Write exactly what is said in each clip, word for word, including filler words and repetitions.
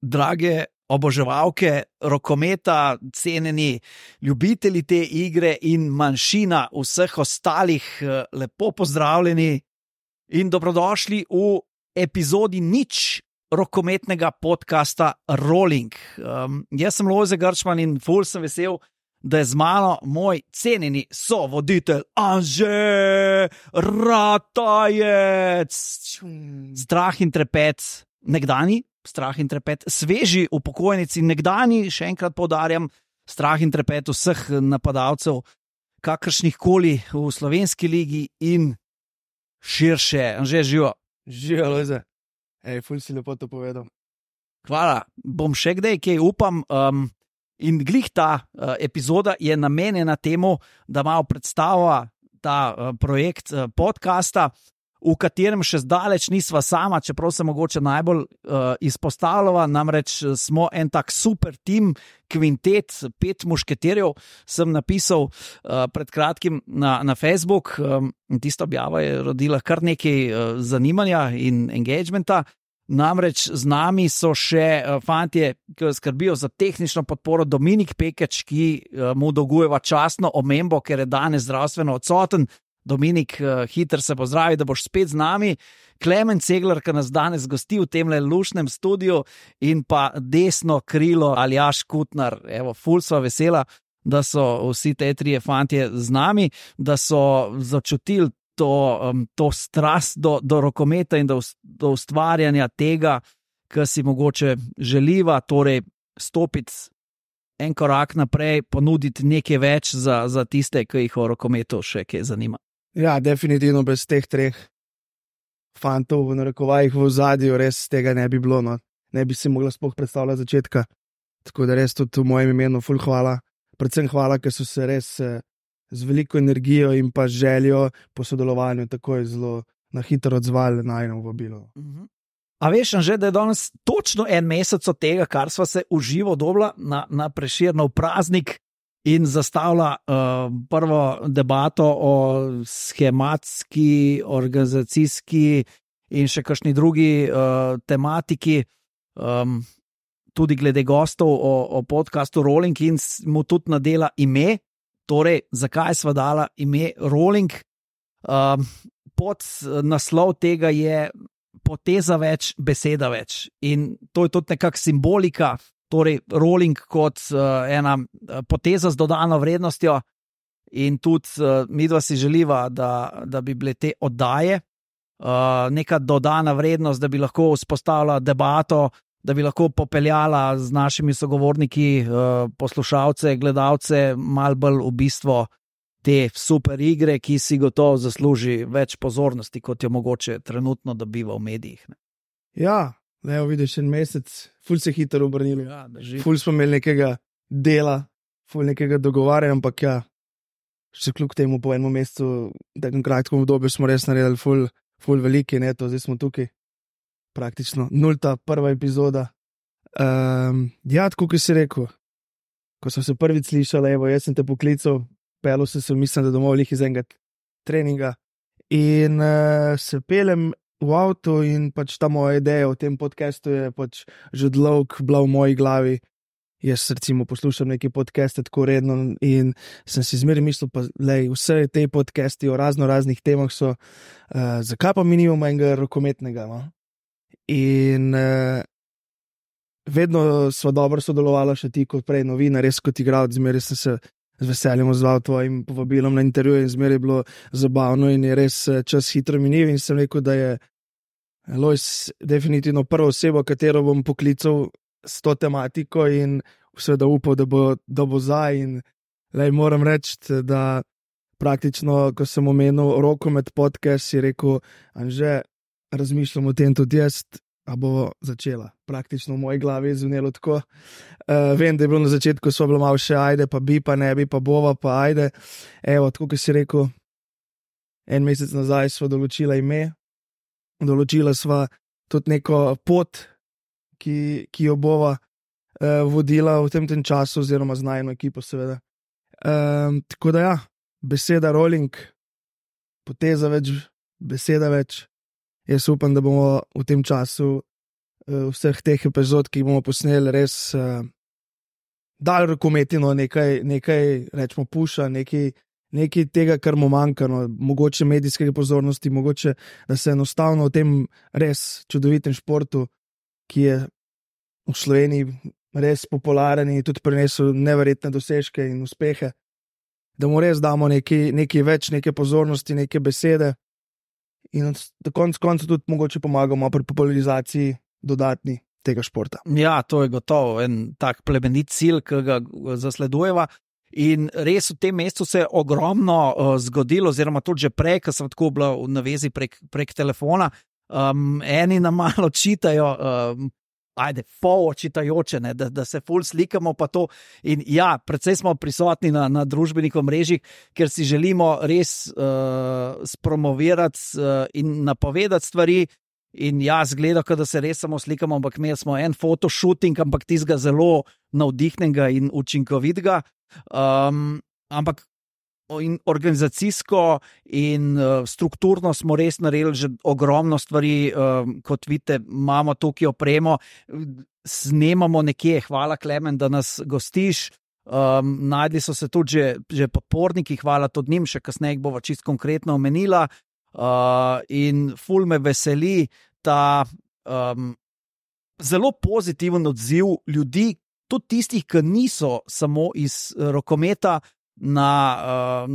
drage oboževalke rokometa, cenjeni ljubitelji te igre in manjšina vseh ostalih, lepo pozdravljeni in dobrodošli v epizodi nič rokometnega podcasta Rolling. Um, jaz sem Lojze Grčman in ful sem vesel, da je z mano moj cenjeni sovoditelj Anže Ratajec. Strah in trepet, nekdani strah in trepet, sveži upokojnici, nekdani, še enkrat poudarjam, strah in trepet vseh napadalcev, kakršnih koli v slovenski ligi in širše. Anže, živo. Živo, Lojze. Ej, ful si lepo to povedal. Hvala, bom še kdaj, kaj upam. Um, in glih ta uh, epizoda je namenjena temu, da malo predstavlja ta uh, projekt uh, podcasta, v katerem še zdaleč nisva sama, čeprav se mogoče najbolj uh, izpostavljava, namreč smo en tak super tim, kvintet, pet mušketerjev, sem napisal uh, pred kratkim na, na Facebook, um, in tista objava je rodila kar nekaj uh, zanimanja in engagementa. Namreč z nami so še uh, fantje, ki skrbijo za tehnično podporo, Dominik Pekeč, ki uh, mu dolgujeva častno omembo, ker je danes zdravstveno odsoten. Dominik, uh, hiter se pozdravi, da boš spet z nami. Klemen Ceglar, ki nas danes gosti v tem lušnem studiu, in pa desno krilo Aljaž Kutnar. Evo, ful sva vesela, da so vsi te trije fantje z nami, da so začutili to, um, to strast do, do rokometa in do, do ustvarjanja tega, kar si mogoče želiva, torej stopiti en korak naprej, ponuditi nekaj več za, za tiste, ki jih o rokometu še kaj zanima. Ja, definitivno bez teh treh fantov v narekovajih v ozadju res tega ne bi bilo, no. Ne bi si mogla sploh predstavljati začetka. Tako da res tudi v mojem imenu ful hvala. Predvsem hvala, ker so se res eh, z veliko energijo in pa željo po sodelovanju takoj zelo na hitro odzvali na eno vabilo. Mhm. A veš, že da je danes točno en mesec od tega, kar sva se v živo dobila na, na Prešernov praznik in zastavila uh, prvo debato o schematski, organizacijski in še kakšni drugi uh, tematiki, um, tudi glede gostov o, o podcastu Rolling, in mu tudi nadela ime. Torej, zakaj sva dala ime Rolling? Um, pod naslov tega je poteza več, beseda več. In to je tudi nekak simbolika, torej rolling kot uh, ena poteza z dodano vrednostjo, in tudi uh, midva si želiva, da, da bi bile te oddaje uh, neka dodana vrednost, da bi lahko vzpostavila debato, da bi lahko popeljala z našimi sogovorniki uh, poslušalce, gledalce, malo bolj v bistvo te super igre, ki si gotovo zasluži več pozornosti, kot jo mogoče trenutno dobiva v medijih. Ne? Ja, ne, vidiš, en mesec, ful se hitro obrnili. Ja, ful smo imeli nekega dela, ful nekega dogovarjanja, ampak ja, še kljub temu po enem mesecu, v takem kratkem obdobju smo res naredili ful, ful veliki, ne, to zdaj smo tukaj, praktično nulta prva epizoda. Um, ja, tako ki si rekel, ko sem se prvič slišala, evo, jaz sem te poklical, pelil sem se, mislim, da domov lih iz enega treninga in uh, se pelem v avtu in pač ta moja ideja o tem podcastu je pač že dolgo bila v moji glavi. Jaz recimo poslušam neke podcaste tako redno in sem si zmeraj mislil, pa lej, vse te podcasti o razno raznih temah so, uh, zakaj pa mi nimamo enega rokometnega, no? In uh, vedno sva dobro sodelovala še ti kot prej novinar, res kot igralec, zmeraj sem se z veseljem odzval tvojim povabilom na intervju in zmeraj je bilo zabavno in je res čas hitro minil in sem rekel, da je Lojz definitivno prva oseba, katero bom poklical s to tematiko in seveda upal, da bo, da bo za in lej, moram reči, da praktično, ko sem omenil rokomet podcast, si rekel, Anže, razmišljam o tem tudi jaz, a bo začela. Praktično v moji glavi je zvonilo tako. Uh, vem, da je bilo na začetku, so bilo malo še ajde, pa bi, pa ne bi, pa bova, pa ajde. Evo, tako ki si rekel, en mesec nazaj sva določila ime, določila sva tudi neko pot, ki, ki jo bova uh, vodila v tem, tem času, oziroma z najno ekipo seveda. Um, tako da ja, beseda Rolling, poteza več, beseda več. Jaz upam, da bomo v tem času vseh teh epizod, ki jih bomo posneli, res uh, dal rokometino, nekaj, nekaj rečemo, puša, nekaj, nekaj tega, kar mu manjka, no, mogoče medijske pozornosti, mogoče, da se enostavno v tem res čudovitem športu, ki je v Sloveniji res popularen in tudi prinesel neverjetne dosežke in uspehe, da mu res damo nekaj, nekaj več, neke pozornosti, neke besede in da konc koncu tudi mogoče pomagamo pri popularizaciji dodatni tega športa. Ja, to je gotovo en tak plemenit cilj, ki ga zasledujeva. In res v tem mesecu se je ogromno uh, zgodilo, oziroma tudi že prej, ko sem tako bila v navezi prek, prek telefona. Um, eni nam malo čitajo, um, ajde, pol očitajoče, ne, da, da se ful slikamo pa to. In ja, predvsej smo prisotni na, na družbenih omrežjih, ker si želimo res uh, spromovirati uh, in napovedati stvari. In ja, zgleda, da se res samo slikamo, ampak imeli smo en fotoshooting, ampak tistega zelo navdihnenega in učinkovitega. Um, ampak in organizacijsko in uh, strukturno smo res naredili že ogromno stvari, um, kot vidite, imamo tukaj opremo, snemamo nekje, hvala Klemen, da nas gostiš, um, najdli so se tudi že, že podporniki, hvala tudi njim, še kasneje bova čisto konkretno omenila. Uh, in ful me veseli ta um, zelo pozitiven odziv ljudi, tudi tistih, ki niso samo iz rokometa, na, uh,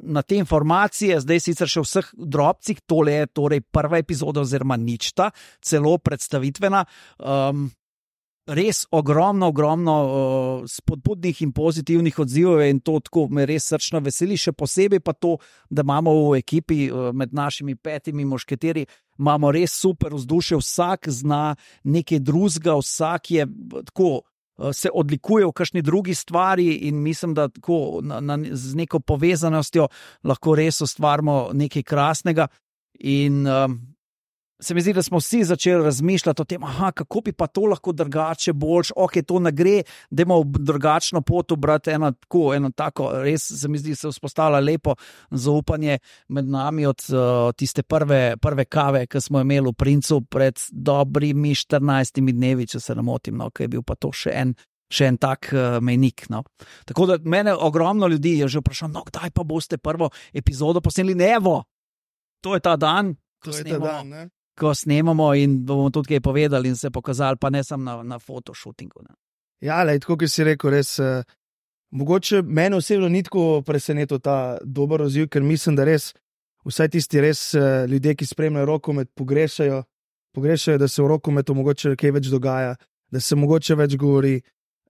na te informacije, zdaj sicer še vseh drobcih, tole je torej prva epizoda oziroma ničta, celo predstavitvena. Um, res ogromno, ogromno uh, spodbudnih in pozitivnih odzivov in to tako me res srčno veseli, še posebej pa to, da imamo v ekipi uh, med našimi petimi mošketeri, imamo res super vzdušje, vsak zna nekaj drugega, vsak je tako, uh, se odlikuje v kakšni drugi stvari in mislim, da tako na, na, z neko povezanostjo lahko res ustvarimo nekaj krasnega in um, se mi zdi, da smo vsi začeli razmišljati o tem, aha, kako bi pa to lahko drugače, boljš, ok, to ne gre, da imamo drugačno pot obrati, eno tako, eno tako, res se mi zdi, se vzpostavlja lepo zaupanje med nami od uh, tiste prve, prve kave, ki smo imeli v Princu pred dobrimi štirinajstimi dnevi, če se ne motim, no, ki je bil pa to še en, še en tak uh, mejnik. No. Tako da mene ogromno ljudi je že vprašalo, no, kdaj pa boste prvo epizodo posneli, ne, evo, to je ta dan, ko snemamo. ko snemamo in bomo tudi kaj povedali in se pokazali, pa ne samo na, na fotoshootingu. Ne. Ja, lej, tako, ki si rekel, res, uh, mogoče meni osebno ni tako presenetil ta dober odziv, ker mislim, da res vsaj tisti res uh, ljudje, ki spremljajo rokomet, pogrešajo, pogrešajo, da se v rokometu mogoče kaj več dogaja, da se mogoče več govori.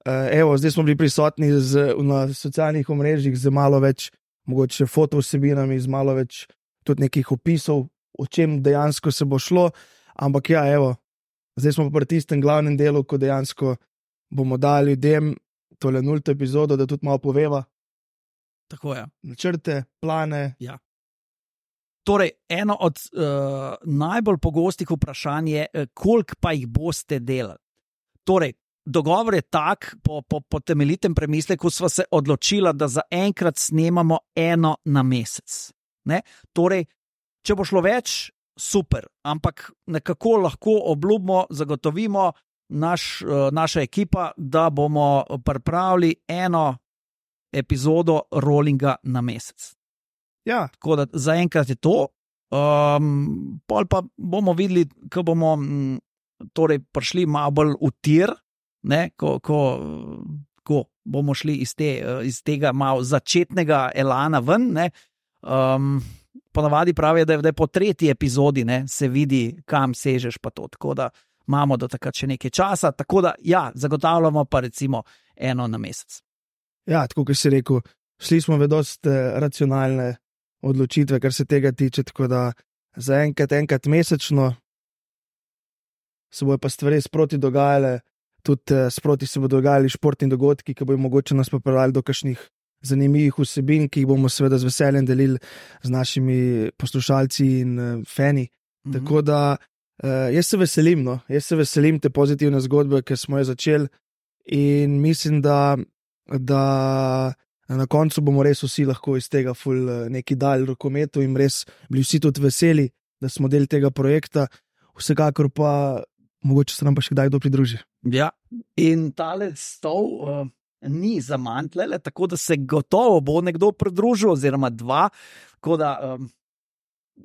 Uh, evo, zdaj smo bili prisotni z, na socialnih omrežjih z malo več mogoče fotovsebinami, z malo več tudi nekih opisov, o čem dejansko se bo šlo, ampak ja, evo, zdaj smo pa pri tistem glavnem delu, ko dejansko bomo dali ljudem tole nulto epizodo, da tudi malo poveva. Tako je. Načrte, plane. Ja. Torej, eno od uh, najbolj pogostih vprašanj je, koliko pa jih boste delali. Torej, dogovor je tak, po, po, po temeljitem premisleku sva se odločila, da za enkrat snemamo eno na mesec. Ne? Torej, če bo šlo več, super, ampak nekako lahko obljubimo, zagotovimo naš, naša ekipa, da bomo pripravili eno epizodo rollinga na mesec. Ja. Tako da zaenkrat je to. Um, pol pa bomo videli, ko bomo m, torej prišli malo bolj v tir, ne, ko, ko, ko bomo šli iz, te, iz tega malo začetnega elana ven, ne. Um, ponavadi pravijo, da je, da je po tretji epizodi, ne, se vidi, kam sežeš pa to, tako da imamo do takrat še nekaj časa, tako da ja, zagotavljamo pa recimo eno na mesec. Ja, tako kot si rekel, šli smo v dosti racionalne odločitve, kar se tega tiče, tako da za enkrat, enkrat mesečno se bojo pa stvari sproti dogajale, tudi sproti se bodo dogajali športni dogodki, ki bojo mogoče nas popeljali do kakšnih zanimivih vsebin, ki jih bomo seveda z veseljem delili z našimi poslušalci in uh, fani. Mm-hmm. Tako da uh, jaz se veselim, no, jaz se veselim te pozitivne zgodbe, ki smo jo začeli in mislim, da, da na koncu bomo res vsi lahko iz tega ful uh, neki dal rokometu in res bili vsi tudi veseli, da smo del tega projekta. Vsekakor pa mogoče se nam pa še kdaj kdo pridruži. Ja, in tale stol uh, ni za mantlele, tako da se gotovo bo nekdo pridružil, oziroma dva, tako da um,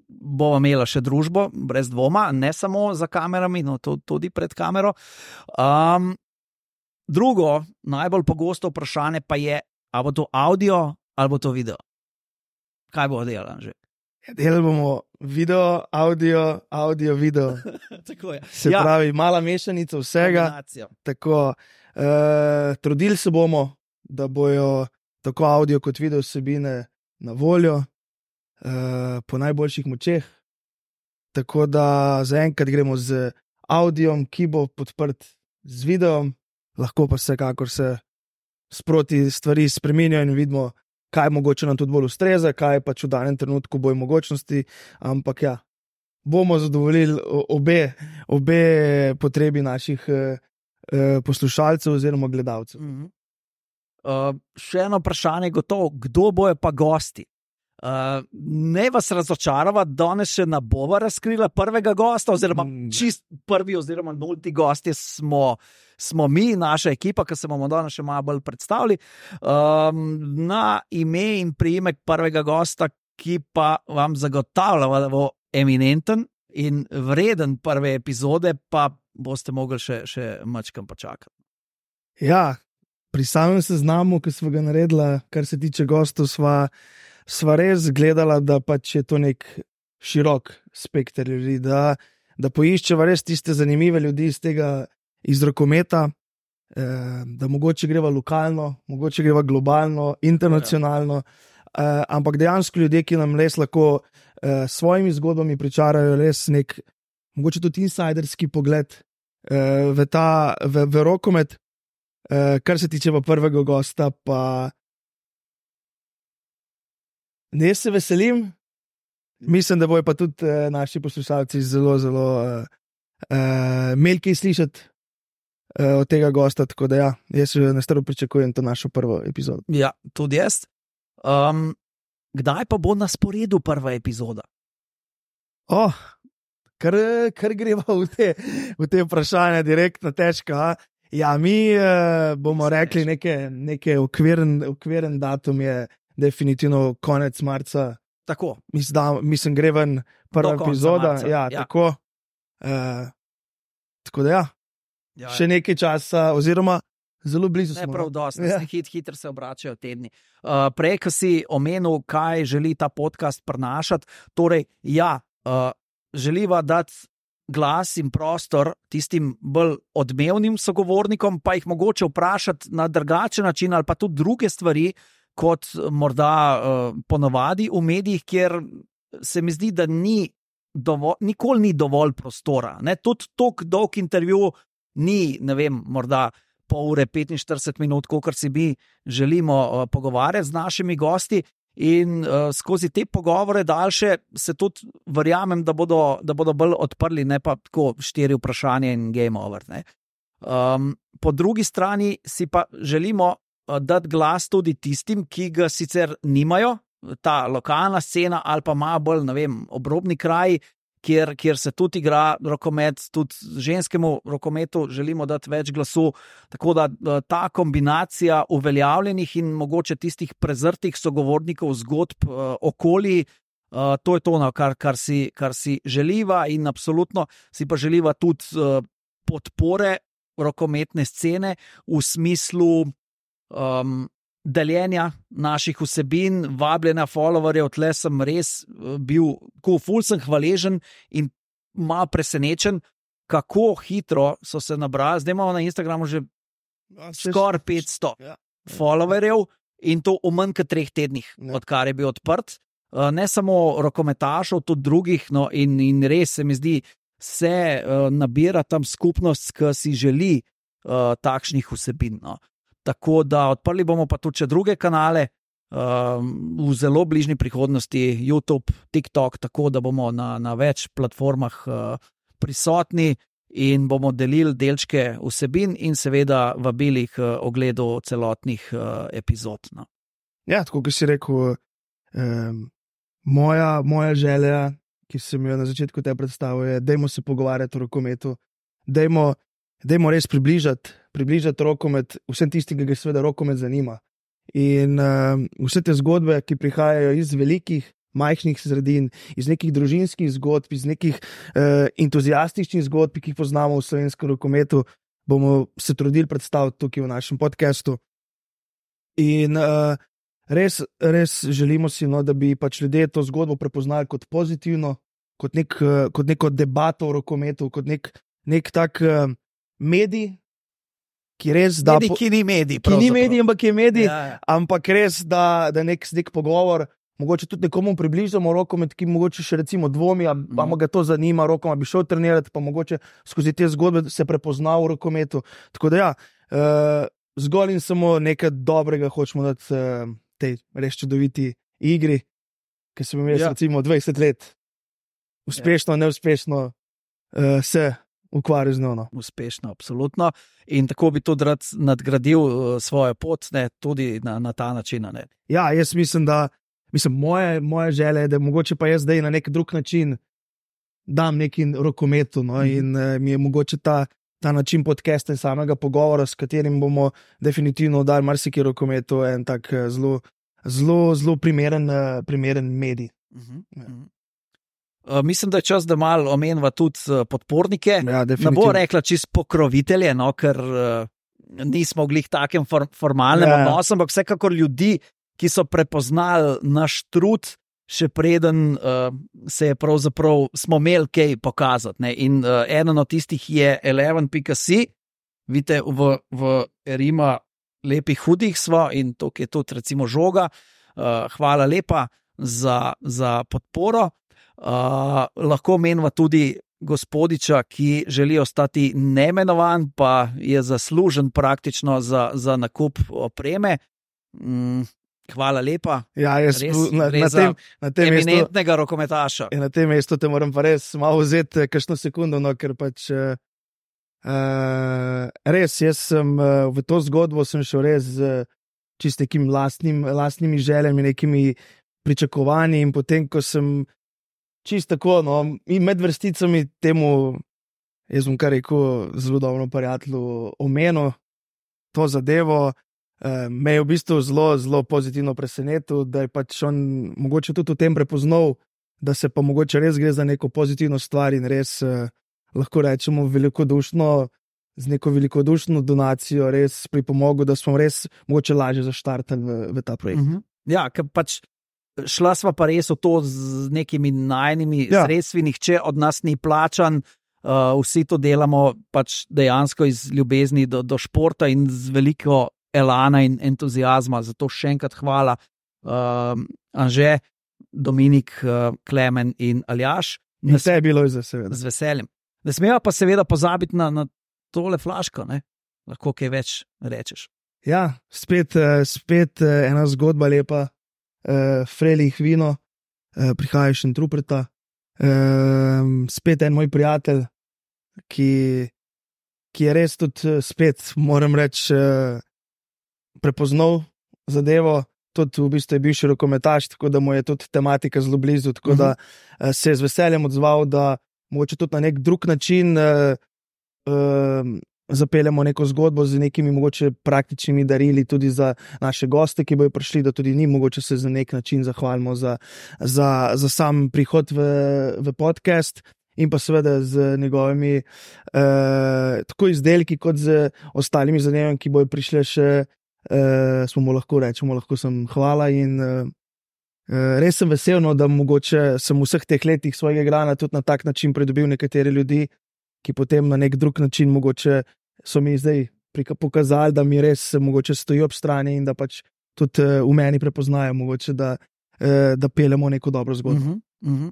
bomo imeli še družbo, brez dvoma, ne samo za kamerami, no tudi pred kamero. Um, drugo, najbolj pogosto vprašanje pa je, ali bo to audio ali bo to video. Kaj bo delal že? Delali bomo video, audio, audio, video. Tako je. Se Ja. pravi, mala mešanica vsega. Kombinacija. Tako, uh, trudili se bomo, da bojo tako audio kot video vsebine na voljo, uh, po najboljših močeh. Tako da zaenkrat gremo z audiom, ki bo podprt z videom, lahko pa vsekakor se sproti stvari spreminjajo in vidimo, kaj mogoče nam tudi bolj ustreza, kaj pač v danem trenutku bojo mogočnosti, ampak ja, bomo zadovoljili obe, obe potrebi naših eh, poslušalcev oziroma gledalcev. Mhm. Uh, še eno vprašanje je gotovo, kdo bojo pa gosti? Uh, ne vas razočarava, danes še ne bova razkrila prvega gosta, oziroma Mm. čist prvi oziroma nulti gosti smo, smo mi, naša ekipa, ki se bomo danes še malo bolj predstavili. Um, na ime in priimek prvega gosta, ki pa vam zagotavlja, da bo eminenten in vreden prve epizode, pa boste mogli še, še mačkam počakati. Ja, pri samem seznamu, ki smo ga naredili, kar se tiče gostov, sva sva res gledala, da pač je to nek širok spekter ljudi, da, da poiščeva res tiste zanimive ljudi iz tega, iz rokometa, eh, da mogoče greva lokalno, mogoče greva globalno, internacionalno, eh, ampak dejansko ljudje, ki nam res lahko eh, svojimi zgodbami pričarajo res nek, mogoče tudi insiderski pogled eh, v ta, v, v rokomet, eh, kar se tiče pa prvega gosta, pa ne, se veselim, mislim, da bojo pa tudi uh, naši poslušalci zelo, zelo uh, uh, imeli kaj slišati uh, od tega gosta, tako da ja, jaz že nestrpno pričakujem to našo prvo epizodo. Ja, tudi jaz. Um, kdaj pa bo na sporedu prva epizoda? Oh, kar, kar greva v te, v te vprašanja direktno težka. A? Ja, mi uh, bomo rekli neke, neke okviren, okviren datum je definitivno konec marca. Tako. Mislim, mislim gre ven prva Do konca epizoda. marca, Ja, ja. tako. Uh, tako da ja, Ja, še nekaj časa, oziroma zelo blizu ne smo. prav dosti, Ja. ja. hit, hitro se obračajo tedni. Uh, prej, ko si omenil, kaj želi ta podcast prenašati, torej, ja, uh, želiva dati glas in prostor tistim bolj odmevnim sogovornikom, pa jih mogoče vprašati na drugačen način ali pa tudi druge stvari, kot morda uh, ponovadi v medijih, kjer se mi zdi, da ni dovolj, nikoli ni dovolj prostora. Ne? Tudi tako dolg intervju ni, ne vem, morda pol ure, petinštirideset minut, kolikor si mi želimo uh, pogovarjati z našimi gosti. In uh, skozi te pogovore daljše se tudi verjamem, da bodo, da bodo bolj odprli, ne pa tako štiri vprašanja in game over. Ne? Um, po drugi strani si pa želimo uh, dati glas tudi tistim, ki ga sicer nimajo, ta lokalna scena ali pa malo bolj, ne vem, obrobni kraj, kjer, kjer se tudi igra rokomet, tudi ženskemu rokometu želimo dati več glasu, tako da ta kombinacija uveljavljenih in mogoče tistih prezrtih sogovornikov zgodb uh, okoli, uh, to je to, no, kar, kar, si, kar si želiva in absolutno si pa želiva tudi uh, podpore rokometne scene v smislu um, deljenja naših vsebin, vabljenja followerjev. Tle sem res bil, ko ful sem hvaležen in malo presenečen, kako hitro so se nabrali. Zdaj imamo na Instagramu že skoraj petsto Ja. followerjev in to v manj kot treh tednih, Ja. odkar je bil odprt. Ne samo rokometašov, tudi drugih, no, in, in res se mi zdi, se uh, nabira tam skupnost, ki si želi uh, takšnih vsebin. No. Tako da odprli bomo pa tudi še druge kanale, um, v zelo bližnji prihodnosti, YouTube, TikTok, tako da bomo na, na več platformah uh, prisotni in bomo delili delčke vsebin in seveda vabili k uh, ogledu celotnih uh, epizod. No. Ja, tako kot si rekel, um, moja, moja želja, ki sem jo na začetku te predstavil, je, dajmo se pogovarjati o rokometu. dajmo, dajmo res približati, približati rokomet vsem tistim, ki ga seveda rokomet zanima. In uh, vse te zgodbe, ki prihajajo iz velikih, majhnih sredin, iz nekih družinskih zgodb, iz nekih uh, entuzijastičnih zgodb, ki jih poznamo v slovenskem rokometu, bomo se trudili predstaviti tukaj v našem podkastu. In uh, res, res želimo si, no, da bi pač ljudje to zgodbo prepoznali kot pozitivno, kot, nek, uh, kot neko debato o rokometu, kot nek, nek tak uh, medij, ki res da. Medij, ki ni medij. Ki ni medij, ampak je medij, ja, ja. ampak res da, da nek, nek pogovor, mogoče tudi nekomu približamo rokomet, ki mogoče še recimo dvomi, a mm. ga to zanima, rokoma bi šel trenirati, pa mogoče skozi te zgodbe se prepozna v rokometu. Tako da ja, uh, zgolj in samo nekaj dobrega hočemo dati uh, tej res čudoviti igri, ki sem imel ja. recimo dvajset let, uspešno, ja. neuspešno uh, se ukvarjal z njo. No. Uspešno, absolutno. In tako bi tudi rad nadgradil uh, svojo pot, ne, tudi na, na ta način. Ne. Ja, jaz mislim, da mislim, moje, moje želje je, da mogoče pa jaz zdaj na nek drug način dam neki rokometu, no, mm. in uh, mi je mogoče ta, ta način podcasta in samega pogovora, s katerim bomo definitivno dali marsikaj rokometu, en tak uh, zelo, zelo, zelo primeren, uh, primeren medij. Mm-hmm. Ja. Uh, mislim, da je čas, da malo omenjava tudi uh, podpornike. Ja, ne bo rekla čist pokrovitelje, no, ker uh, nismo v glih takem for, formalnem ja. odnosu, ampak vsekakor ljudi, ki so prepoznali naš trud, še preden uh, se je pravzaprav smo imeli kaj pokazati. Ne. In uh, eden od tistih je eleven pika si, vidite, v, v Rima lepih hudih smo in to je tudi recimo žoga. Uh, hvala lepa za, za podporo. Uh, lahko menva tudi gospodiča, ki želi ostati neimenovan, pa je zaslužen praktično za, za nakup opreme. Mm, hvala lepa. Ja, jaz res, na, na tem, na tem eminentnega mestu, rokometaša. Na tem mestu te moram pa res malo vzeti kakšno sekundo, no, ker pač uh, res, jaz sem uh, v to zgodbo sem šel res z uh, čist nekim lastnim, lastnimi željami, nekimi pričakovanji in potem, ko sem čisto tako, no, in med vrsticami temu, jaz bom kar rekel, zelo dobro prijatelju omenil to zadevo, eh, me je v bistvu zelo, zelo pozitivno presenetil, da je pač on mogoče tudi v tem prepoznal, da se pa mogoče res gre za neko pozitivno stvar in res eh, lahko rečemo velikodušno, z neko velikodušno donacijo res pripomogel, da smo res mogoče lažje zaštartali v, v ta projekt. Mhm. Ja, ker pač šla sva pa res v to z nekimi najnimi ja. sredstvi, nihče od nas ni plačan, uh, vsi to delamo pač dejansko iz ljubezni do, do športa in z veliko elana in entuzijazma. Zato še enkrat hvala uh, Anže, Dominik, uh, Klemen in Aljaž. In vse je bilo iz seveda. Z veseljem. Ne smeva pa seveda pozabiti na, na tole flaško, ne? Lahko kaj več rečeš. Ja, spet, spet ena zgodba lepa. Uh, Frelih vino, uh, prihaja še in trupreta. Uh, spet en moj prijatelj, ki, ki je res tudi spet, moram reči, uh, prepoznal zadevo. Tudi v bistvu je bil še rokometaš, tako da mu je tudi tematika zelo blizu. Tako uh-huh. da uh, se je z veseljem odzval, da mogoče tudi na nek drug način uh, uh, zapeljemo neko zgodbo z nekimi mogoče praktičnimi darili tudi za naše goste, ki bojo prišli, da tudi njim mogoče se za nek način zahvalimo za, za, za sam prihod v, v podcast in pa seveda z njegovimi eh, tako izdelki kot z ostalimi zadevami, ki bojo prišle še, eh, smo mu lahko rečemo, lahko sem hvala in eh, res sem vesel, no, da mogoče sem v vseh teh letih svojega igranja tudi na tak način pridobil nekatere ljudi, ki potem na nek drug način mogoče so mi zdaj pokazali, da mi res mogoče stojijo ob strani in da pač tudi v meni prepoznajo mogoče, da, da peljemo neko dobro zgodbo. Uh-huh, uh-huh.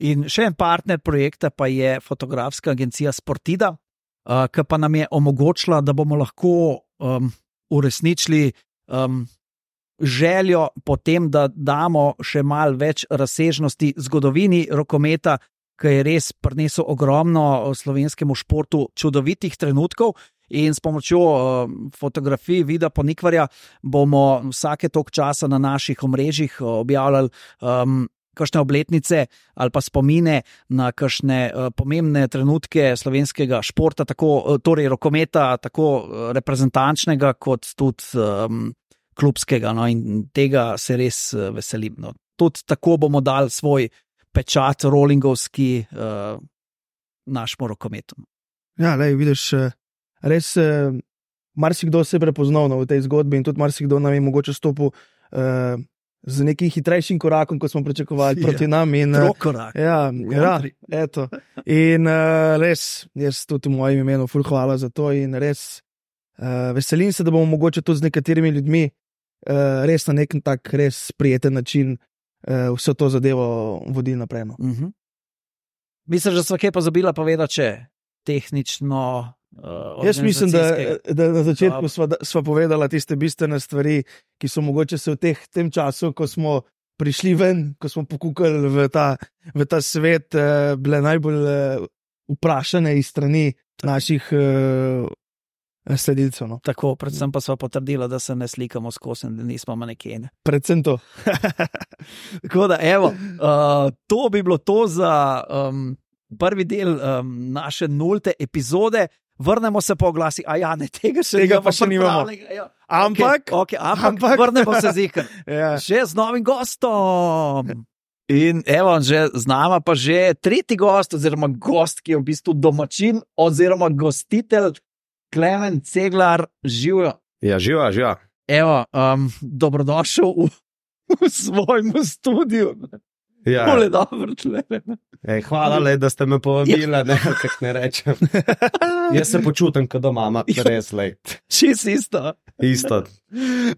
In še en partner projekta pa je fotografska agencija Sportida, uh, ki pa nam je omogočila, da bomo lahko um, uresničili um, željo potem, da damo še malo več razsežnosti zgodovini rokometa, ki je res prinesel ogromno slovenskemu športu čudovitih trenutkov in s pomočjo uh, fotografij Vida Ponikvarja bomo vsake toliko časa na naših omrežjih objavljali um, kakšne obletnice ali pa spomine na kakšne uh, pomembne trenutke slovenskega športa, tako, uh, torej rokometa, tako uh, reprezentančnega kot tudi um, klubskega. No, in tega se res uh, veselim. No. Tudi tako bomo dali svoj pečat rollingovski uh, našemu rokometu. Ja, lej, vidiš, res marsikdo se je prepoznal v tej zgodbi in tudi marsikdo nam je mogoče stopil uh, z nekim hitrejšim korakom, kot smo pričakovali ja, proti nam. Trokorak. Ja, ja, eto. In uh, res, jaz tudi v mojem imenu ful hvala za to in res uh, veselim se, da bomo mogoče tudi z nekaterimi ljudmi uh, res na nek tak res prijeten način uh, vso to zadevo vodili naprej. No. Uh-huh. Mislim, da sva kaj pozabila povedati, če tehnično Uh, Jaz mislim, da, da na začetku sva, sva povedala tiste bistvene stvari, ki so mogoče se v teh, tem času, ko smo prišli ven, ko smo pokukali v ta, v ta svet, eh, bile najbolj eh, vprašane iz strani naših eh, sledilcev. No. Tako, predvsem pa sva potrdila, da se ne slikamo skozi, da nismo manekene. Predvsem to. Tako da, evo, uh, to bi bilo to za um, prvi del um, naše nulte epizode. Vrnemo se po oglasi, a ja, ne, tega še, tega pa še nimamo. Ja. Ampak, okay, okay, ampak, ampak vrnemo se zikr. Ja. Že z novim gostom. In evo, že z nama pa že tretji gost, oziroma gost, ki je v bistvu domačin, oziroma gostitelj, Klemen Ceglar, živijo. Ja, živijo, živijo. Evo, um, dobrodošel v, v svojem studiu. Ja. Tole dobro, Klemen. Ej, hvala, le, da ste me povabili, ne, kako ne rečem. Jaz se počutim, kot doma, res let. Čist isto. Isto.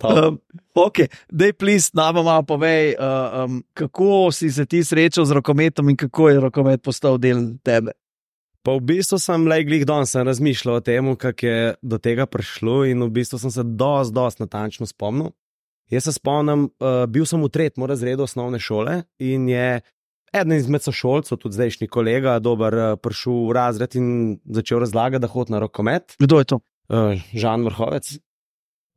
Um, ok, dej, please, nama malo povej, uh, um, kako si se ti srečal z rokometom in kako je rokomet postal del tebe. Pa v bistvu sem le glih danes razmišljal o tem, kako je do tega prišlo in v bistvu sem se dosti, dosti natančno spomnil. Jaz se spomnim, uh, bil sem v tretjem razredu osnovne šole in je eden izmed sošolcev, tudi zdajšnji kolega, dober, prišel v razred in začel razlagati, da hodi na rokomet. Kdo je to? Uh, Žan Vrhovec.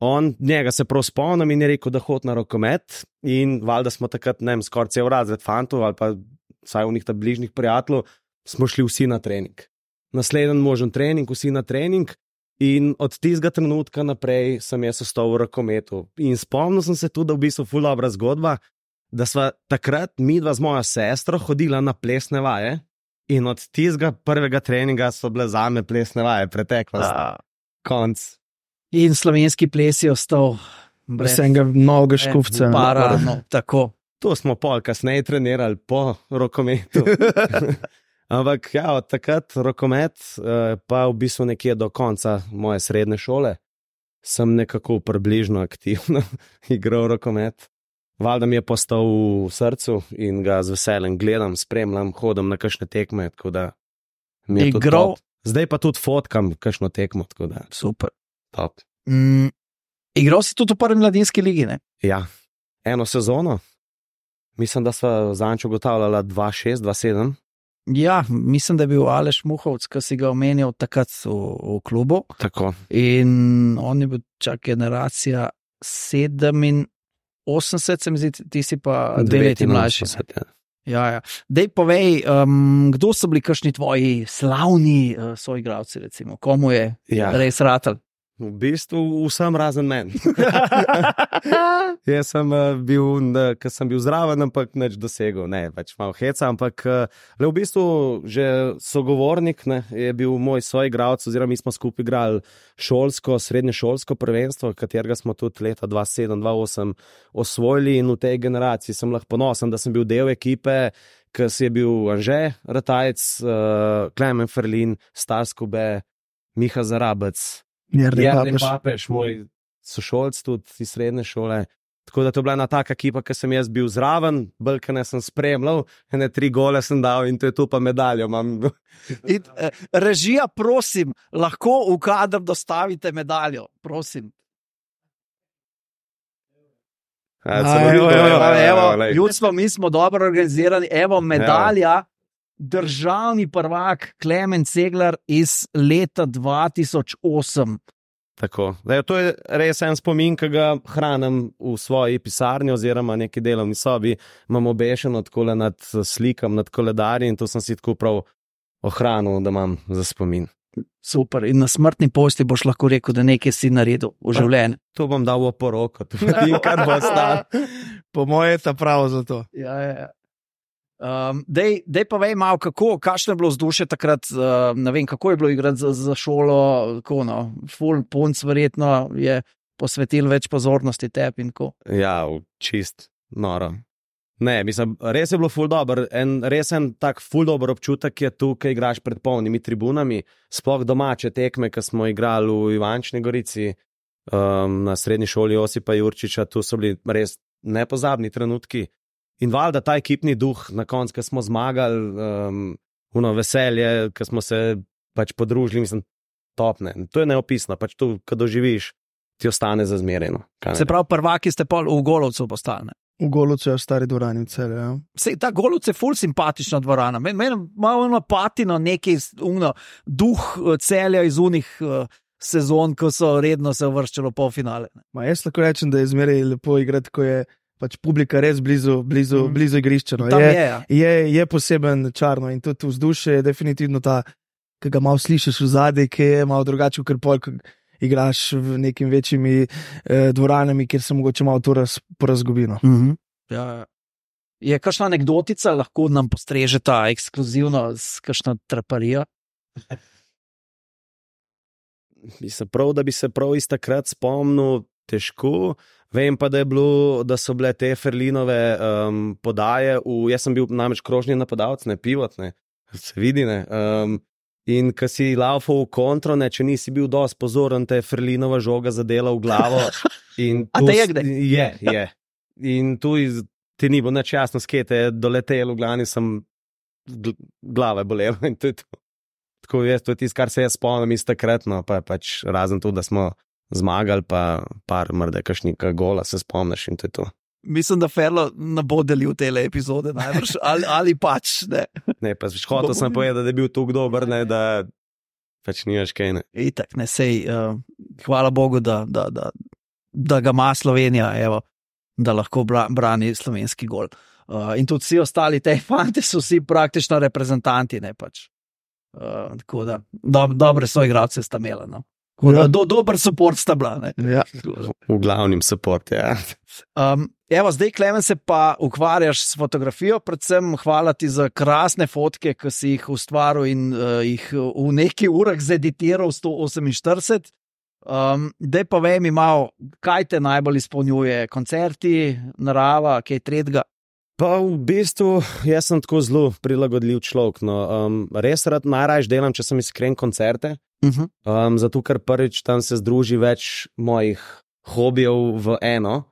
On, njega se prav spomnim in je rekel, da hodi na rokomet in valjda smo takrat, ne vem, skoraj cel razred fantov ali pa vsaj v njih ta bližnjih prijateljev, smo šli vsi na trening. Naslednji možen trening, vsi na trening in od tistega trenutka naprej sem jaz ostal v rokometu. In spomnil sem se tudi, da v bistvu ful dobra zgodba, da sva takrat midva z mojo sestro hodila na plesne vaje in od tistega prvega treninga so bile zame plesne vaje, preteklost, Da. konc. In slovenski ples je ostal brez Vsega novega škufca. para, no, tako. To smo pol kasneje trenirali po rokometu. Ampak ja, od takrat rokomet, pa v bistvu nekje do konca moje srednje šole, sem nekako približno aktivno igral rokomet. Valjda mi je postal v srcu in ga z veseljem gledam, spremljam, hodim na kakšne tekme, tako da mi je to top. Zdaj pa tudi fotkam kakšno tekmo, tako da super. Top. Mm, igral si tudi v prvi mladinski ligi, ne? Ja, eno sezono. Mislim, da sva zanč ugotavljala dva šest, dva sedem. Ja, mislim, da je bil Aleš Muhovc, ki si ga omenjal takrat v, v klubu. Tako. In on je bil čak generacija sedem osemdeset, se mi zdi, ti si pa dve leti mlajši. Ja. Ja, ja. Dej povej, um, kdo so bili kakšni tvoji slavni uh, soigralci, recimo? Komu je Ja. res ratal? V bistvu vsem razen meni. Jaz sem uh, bil, ker sem bil zraven, ampak nič dosegel, ne, več malo heca, ampak uh, le v bistvu že sogovornik, ne, je bil moj soigralec, oziroma mi smo skupaj igrali šolsko, srednje šolsko prvenstvo, katerega smo tudi leta dva sedem, dva osem osvojili in v tej generaciji sem lahko ponosen, da sem bil del ekipe, ki si je bil Anže Ratajec, uh, Klemen Ferlin, Stas Kube, Miha Zarabec, Jernej Papež, moj sošolc tudi iz srednje šole. Tako da to je bila ena taka ekipa, ki sem jaz bil zraven, bolj sem spremljal, ene tri gole sem dal in to je tu pa medaljo imam. In, eh, režija, prosim, lahko v kader dostavite medaljo, prosim. Ja, A, evo, evo, evo, evo, ljudstvo, mi smo dobro organizirani, evo medalja, državni prvak Klemen Ceglar iz leta dva tisoč osem. Tako. Zdaj, to je res en spomin, ki ga hranim v svoji pisarni oziroma neki delovni sobi. Imam obešeno takole nad slikam, nad koledarji in to sem si tako prav ohranil, da imam za spomin. Super. In na smrtni posti boš lahko rekel, da nekaj si naredil v življenju. To bom dal v poroko, to je kar bo ostalo. Po moje je ta pravo za to. Ja, ja, ja. Um, dej, dej pa vej malo, kako, kakšno je bilo vzdušje takrat, uh, ne vem, kako je bilo igrati za, za šolo, kako no, ful punc verjetno je posvetil več pozornosti tebi in ko. Ja, čist noro. Ne, mislim, res je bilo ful dober, en, res en tak ful dober občutek je tu, kaj igraš pred polnimi tribunami, sploh domače tekme, ki smo igrali v Ivančni Gorici, um, na srednji šoli Josipa Jurčiča, tu so bili res nepozabni trenutki. In valjda ta ekipni duh, na koncu, ko smo zmagali, um, uno veselje, ko smo se pač podružili, mislim, topne. To je neopisno, pač to, ko doživiš, ti ostane za zmereno. Se pravi, prvaki ste pol v Golovcu postali. V Golovcu je v stari dvorani v Celju, ja. Sej, ta Golovc je ful simpatična dvorana. Meni men, malo ono patino, neki uno, duh Celja iz unih uh, sezon, ko so redno se uvrščalo po finale. Ma jaz lahko rečem, da je zmeraj lepo igrati, ko je pač publika res blizu, blizu, mm. blizu igrišča. No. Je, je, ja. je, je poseben čarno in tudi vzdušje je definitivno ta, ki ga malo slišiš v zadnji, ki je malo drugače, ker pol, ko igraš v nekim večjimi eh, dvoranami, kjer se mogoče malo to raz, porazgubino. Mm -hmm. Ja, je kakšna anekdotica, lahko nam postrežeta ekskluzivno s kakšno traparijo? Mislim prav, da bi se prav iz takrat spomnil, težko. Vem pa, da, je bilo, da so bile te Ferlinove um, podaje, v, jaz sem bil namreč krožni napadalec, ne pivot, ne, se vidi, ne. Um, in ko si laufal v kontro, ne, če nisi bil dosti pozoren, te je Ferlinova žoga zadela v glavo. In A te je kdaj? Je, je. In tu iz, ti ni bilo nič jasno, skete je doletel, v glavni sem gl glave bolela in to je to. Tako je, to je tisto, kar se jaz spomnim iz takrat, no, pa pač razen to, da smo zmagali, pa par mrde kakšnika gola, se spomniš in to je to. Mislim, da Ferlo ne bo delil tele epizode najbrž, ali, ali pač, ne. Ne, pa hotel sem povedati, da je bil tukaj dober, ne, da pač nimaš kaj, ne. Itak, ne, sej, uh, hvala Bogu, da, da, da, da ga ima Slovenija, evo, da lahko bra, brani slovenski gol. Uh, in tudi vsi ostali te fanti so vsi praktično reprezentanti, ne pač. Uh, tako da, do, dobre so igralce sta imela, no. Da, do, dober support sta bila. Ja. V glavnem support, ja. Um, evo, zdaj, Klemen, se pa ukvarjaš s fotografijo, predvsem hvala ti za krasne fotke, ki si jih ustvaril in uh, jih v nekaj urah zeditiral sto oseminštirideset. Um, dej pa vej mi malo, kaj te najbolj izpolnjuje? Koncerti, narava, kaj tretjega? Pa v bistvu, jaz sem tako zelo prilagodljiv človek. No. Um, res rad najrajš delam, če sem iskren koncerte. Uh -huh. um, zato, ker prvič tam se združi več mojih hobijev v eno.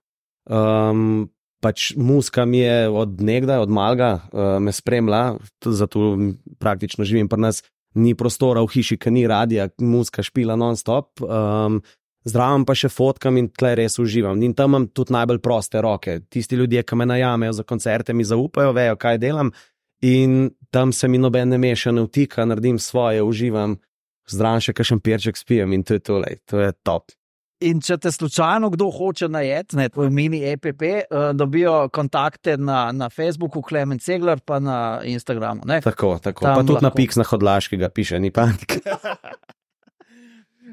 Um, pač muzika mi je od nekdaj, od malga, uh, me spremlja, zato praktično živim pri nas. Ni prostora v hiši, ki ni radija, muzika špila non-stop. Um, Zdravam pa še fotkam in tle res uživam. In tam imam tudi najbolj proste roke. Tisti ljudje, ki me najamejo za koncerte, mi zaupajo, vejo, kaj delam. In tam se mi noben ne meša, ne vtika, naredim svoje, uživam. Zdravam še kakšen perček spijem in to je to, lej, to je top. In če te slučajno kdo hoče najeti, ne, tvoj mini E P P, uh, dobijo kontakte na, na Facebooku, Klemen Ceglar, pa na Instagramu. Ne? Tako, tako. Tam pa tudi lahko na Piks na Hodlaškega piše, ni panika.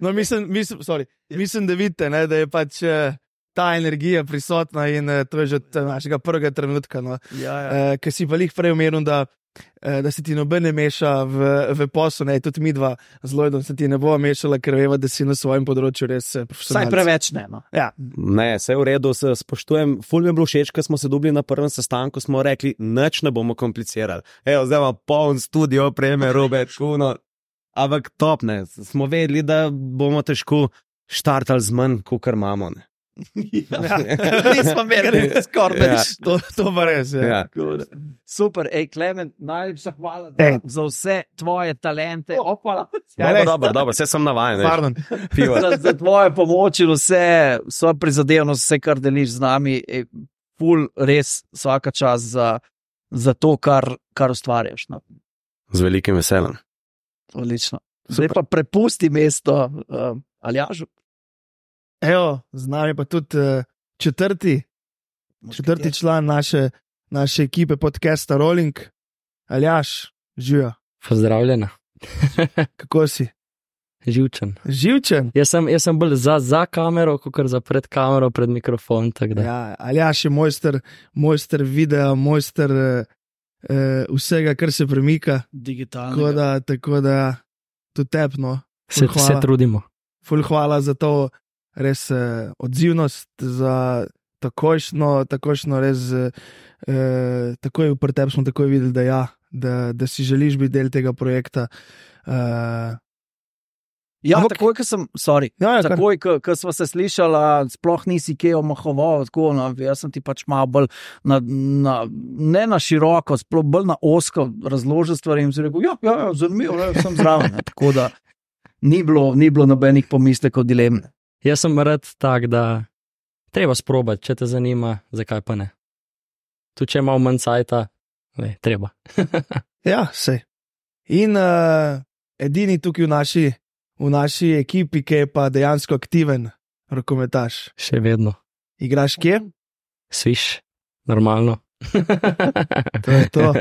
No, mislim, mislim, sorry, mislim, da vidite, ne, da je pač uh, ta energija prisotna in uh, to je že našega prvega trenutka. No. Ja, ja. Uh, ker si pa lih prej omenil, da, uh, da se ti noben ne meša v, v poslu, ne, tudi mi dva z Lloydom se ti ne bo mešala, ker veva, da si na svojem področju res profesionalc. Saj preveč ne, no. Ja. Ne, vse v redu, se spoštujem. Ful mi je bilo všeč, ko smo se dobili na prvem sestanku, smo rekli, nič ne bomo komplicirali. Evo, zdaj imamo poln studio, preme, robe, kuno. Ampak top, ne, smo vedeli, da bomo težko štartali z manj, kot imamo. Ne. Ja, nismo imeli skoraj Ja. nič. To, to pa res je. Ja. Super, ej, Klemen, najlepša hvala Ej. za, za vse tvoje talente. Opala. Ja, Dobro, res. dobro, dobro, vse sem navajen. veš. Pardon. Pivo. za, za tvoje pomoč in vse, vso prizadevnost, vse, kar deliš z nami, je ful res vsaka čas za, za to, kar, kar ustvarjaš. No. Z velikim veseljem. Odlično. Zdaj pa prepusti mesto uh, Aljažu. Evo, z nami pa tudi uh, četrti, četrti član naše, naše ekipe podcasta Rolling, Aljaž, živijo. Pozdravljena. Kako si? Živčen. Živčen? Jaz sem, jaz sem bolj za, za kamero, kot za pred kamero, pred mikrofon. Ja, Aljaž je mojster, mojster videa, mojster uh, uh, vsega, kar se premika. Digitalno. Tako da, tako da tudi tepno. Se, se trudimo. Ful hvala za to res uh, odzivnost, za takojšno, takojšno res, uh, takoj pri tebi smo takoj videli, da ja, da, da si želiš biti del tega projekta. Uh, Ja, Ampak, takoj, ko sem, sorry, ja, ja, takoj, ko, ko smo se slišali, sploh nisi kaj omahoval, tako, no, jaz sem ti pač malo bolj, na, na, ne na široko, sploh bolj na osko razložil stvari in si rekel, ja, ja, ja zanimivo, ja, sem zraven. Ne, tako da ni bilo, ni bilo nobenih pomislekov, dilem. Jaz sem rad tak, da treba sprobati, če te zanima, zakaj pa ne. Tu, če imamo manj cajta, ne, treba. Ja, sej. In uh, edini tukaj v naši V naši ekipi, ki je pa dejansko aktiven rokometaš. Še vedno. Igraš kje? Sviš, normalno. To je to.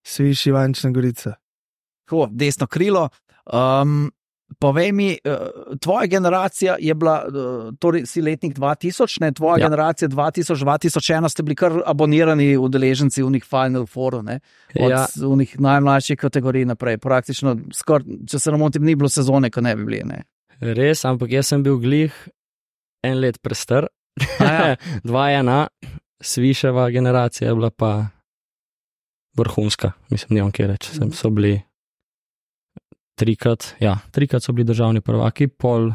Sviš Ivančna Gorica. Tako, desno krilo. Um, povej mi, uh, tvoja generacija je bila, uh, torej si letnik dva tisoč, ne, tvoja ja. generacija dva tisoč, dva tisoč ena ste bili kar abonirani udeleženci v njih Final Fouru, ne? Od ja. njih najmlajših kategorij naprej. Praktično, skor, če se namotim, ni bilo sezone, ko ne bi bili, ne? Res, ampak jaz sem bil glih en let prestar. Ja. dva ena, Sviševa generacija je bila pa vrhunska, mislim, nimam kaj reči, sem so bili Trikrat, ja, trikrat so bili državni prvaki, pol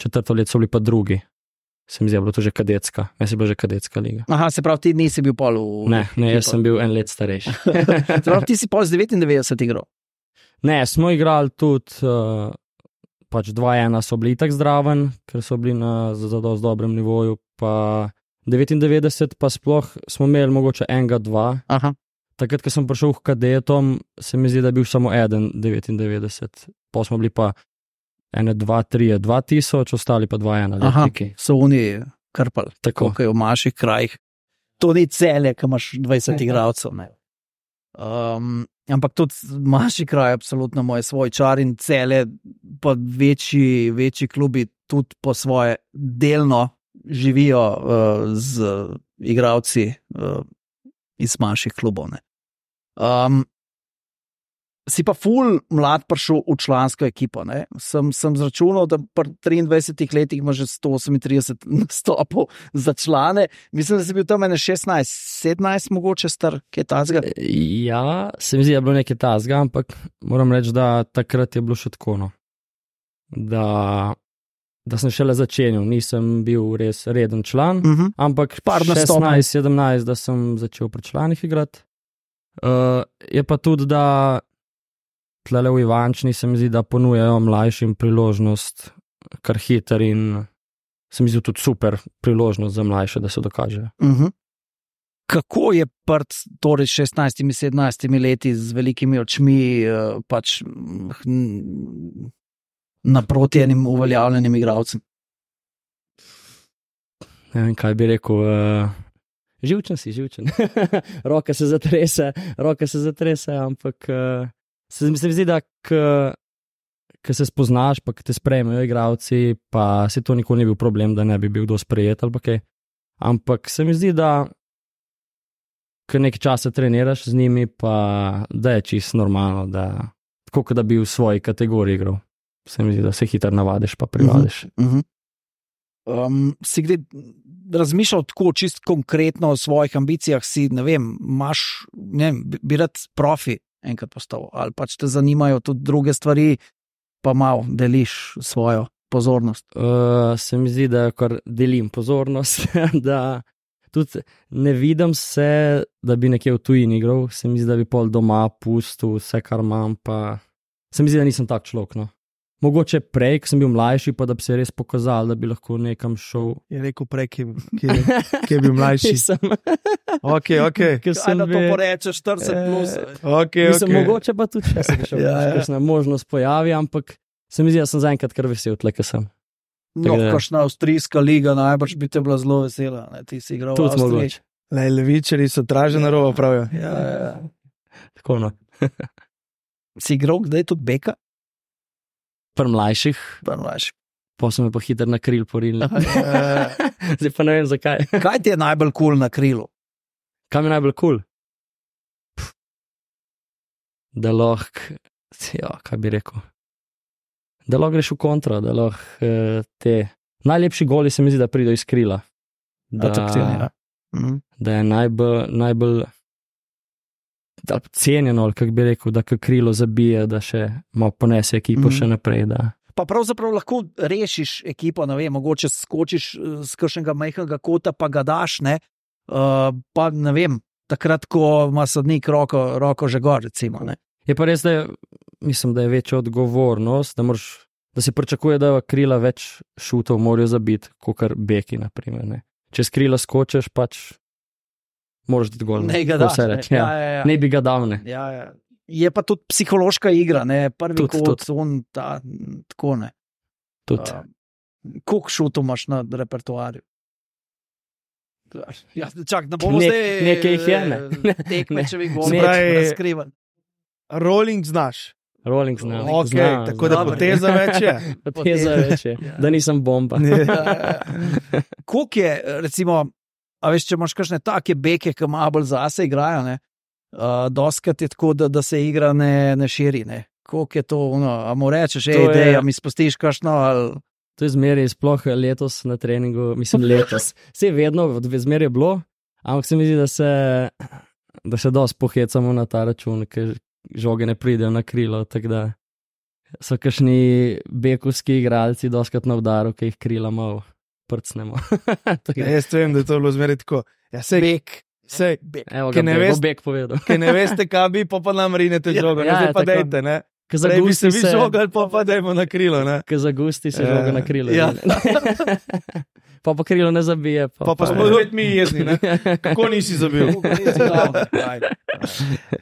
četrto let so bili pa drugi. Se mi zdi, bilo to že kadetska, jaz sem bil že kadetska liga. Aha, se pravi, ti nisi bil pol v... Ne, ne, jaz sem bil en let starejši. Se pravi, ti si pol z devetindevetdeset igral? Ne, smo igrali tudi, uh, pač dva ena so bili tak zdraven, ker so bili na zelo dobrem nivoju, pa devetindevetdeset pa sploh smo imeli mogoče enega, dva. Aha. Takrat, ko sem prišel k kadetom, se mi zdi, da je bil samo eden devetindevetdeset. Pa smo bili pa ene, dva, tri, dva tisoč, ostali pa dva ena. Aha, so oni krpali, tako kot je v manjših krajih. To ni Celje, ki imaš dvajset igralcev. Um, ampak tudi manjši kraj, absolutno moj svoj čar in Celje, pa večji, večji klubi tudi po svoje delno živijo uh, z igralci uh, iz manjših klubov. Ne. Um, si pa ful mlad prišel v člansko ekipo. Ne. Sem, sem zračunal, da pri triindvajsetih letih ima že sto osemintrideset nastopov za člane. Mislim, da si bil tam ene šestnajst, sedemnajst mogoče star, kaj tazga? Ja, se mi zdi, da je bilo nekaj tazga, ampak moram reči, da takrat je bilo še tako, no. Da, da sem šele začenil, nisem bil res reden član, uh -huh. ampak šestnajst, sedemnajst, da sem začel pri članih igrati. Uh, je pa tudi, da tlele v Ivančni se mi zdi, da ponujajo mlajšim priložnost kar hiter in se mi zdi tudi super priložnost za mlajše, da se dokažejo. Uh -huh. Kako je pred torej šestnajstimi, sedemnajstimi leti z velikimi očmi pač naproti enim uveljavljenim igralcem? Ne vem, kaj bi rekel. Uh... Živčen si, živčen. roke se zatrese, roke se zatrese, ampak uh, se mi zdi, da ko se spoznaš, pa te sprejmejo igralci, pa se to nikoli ni bil problem, da ne bi bil kdo sprejet ali pa kaj. Ampak se mi zdi, da ko nekaj časa treniraš z njimi, pa da je čisto normalno, da tako, kot da bi v svoji kategoriji igral. Se mi zdi, da se hitro navadiš, pa privadiš. Uh -huh. Um, si kdaj razmišljal tako čist konkretno o svojih ambicijah, si, ne vem, imaš, ne vem, bi rad profi enkrat postal, ali pač te zanimajo tudi druge stvari, pa malo deliš svojo pozornost? Uh, se mi zdi, da kar delim pozornost, da tudi ne vidim se, da bi nekje v tujini igral, se mi zdi, da bi pol doma pustil vse, kar imam, pa se mi zdi, da nisem tak človek, no. Mogoče prej, ko sem bil mlajši, pa da bi se res pokazal, da bi lahko nekam šel. Je rekel prej, ki je bil mlajši. Nisem. Ok, ok. Kaj da to poreče, štirideset plus. Ok, Mislim, ok. mogoče pa tudi, če se še Ja, ja. kakšna možnost pojavi, ampak se mi zdi, da sem zaenkrat kar vesel, tle, ko sem. No, da- kakšna avstrijska liga, najbrž bi te bila zelo vesela. Ne? Ti si igral v Tudi Avstriji. mogoče. Le, levičari so traženi rovo, pravijo. Ja, ja, ja. Tako no. Si igral kdaj tudi beka? Pri mlajših, Pa mlajši. pa so me pa hitro na kril porili. Zdaj pa ne vem zakaj. Kaj ti je najbolj kul cool na krilu? Kaj mi je najbolj kul? Cool? Da lahko, ja, kaj bi rekel. Da lahko greš v kontra, da lahko eh, te najlepši goli se mi zdi, da pridejo iz krila. Da, Atraktivni, ja. Mhm. da je najbolj, najbolj da cenjeno, ali kako bi rekel, da ko krilo zabije, da še malo ponese ekipo Mhm. še naprej. Da. Pa pravzaprav lahko rešiš ekipo, ne vem, mogoče skočiš z kakšnega majhnega kota, pa ga daš, ne, uh, pa ne vem, takrat, ko ima sodnik roko, roko že gor, recimo, ne. Je pa res, da je, mislim, da je večja odgovornost, da, moraš, da se pričakuje, da krila več šutov morajo zabiti, kot kar beki, naprimer, ne. Če s krila skočiš, pač moraš dati gol. Ne ga Tako daš, se ne. reče, Ja, ja. ja, ja. Ne bi ga dal, ne. Ja, ja. Je pa tudi psihološka igra, ne, prvi Tudi, kot, on, ta, tako ne. Tudi. Uh, koliko šutov imaš na repertoarju? Ja, čak, ne bomo Nek- zdaj nekaj jih je, ne. eh, tekmečevih Ne. golov Se pravi- razkrivali. Rolling znaš. Rolling zna. Ok, zna, tako da Dobro. poteza več je. Poteza več je, Ja. da nisem bomba. Ja, ja, ja. Koliko je, recimo, a veš, če imaš kakšne take beke, ki malo bolj zase igrajo, ne, uh, doskrat je tako, da, da se igra ne, ne širi, ne. Koliko je to, no, a mu rečeš, To ej, je- dej, a mi spustiš kakšno, ali... To je zmeraj, sploh letos na treningu, mislim letos. Vse vedno, zmeraj je bilo, ampak se mi zdi, da se, da se dosti pohecamo na ta račun, ker žoge ne pridejo na krilo, tako da so kakšni bekovski igralci doskrat na udaru, ki jih krila malo prcnemo. Tako Ja, da- jaz vem, da je to bilo zmeraj tako. Ja, sej, Bek. sej, Bek. Evo Ki ga, ne Bek, veš- bo Bek povedal. ki ne veste, kaj bi, pa pa nam rinete Ja, žogo. ja, Ja, zdaj ja, pa tako. dejte, ne. Ko Prej bi se zagusti vi žogali, pa pa dajmo na krilo, ne. Ko zagusti se Ja. žoga na krilo. Ja. Pa pa krilo ne zabije. Pa, Pa pa smo spet mi jezni, ne. Kako nisi zabil?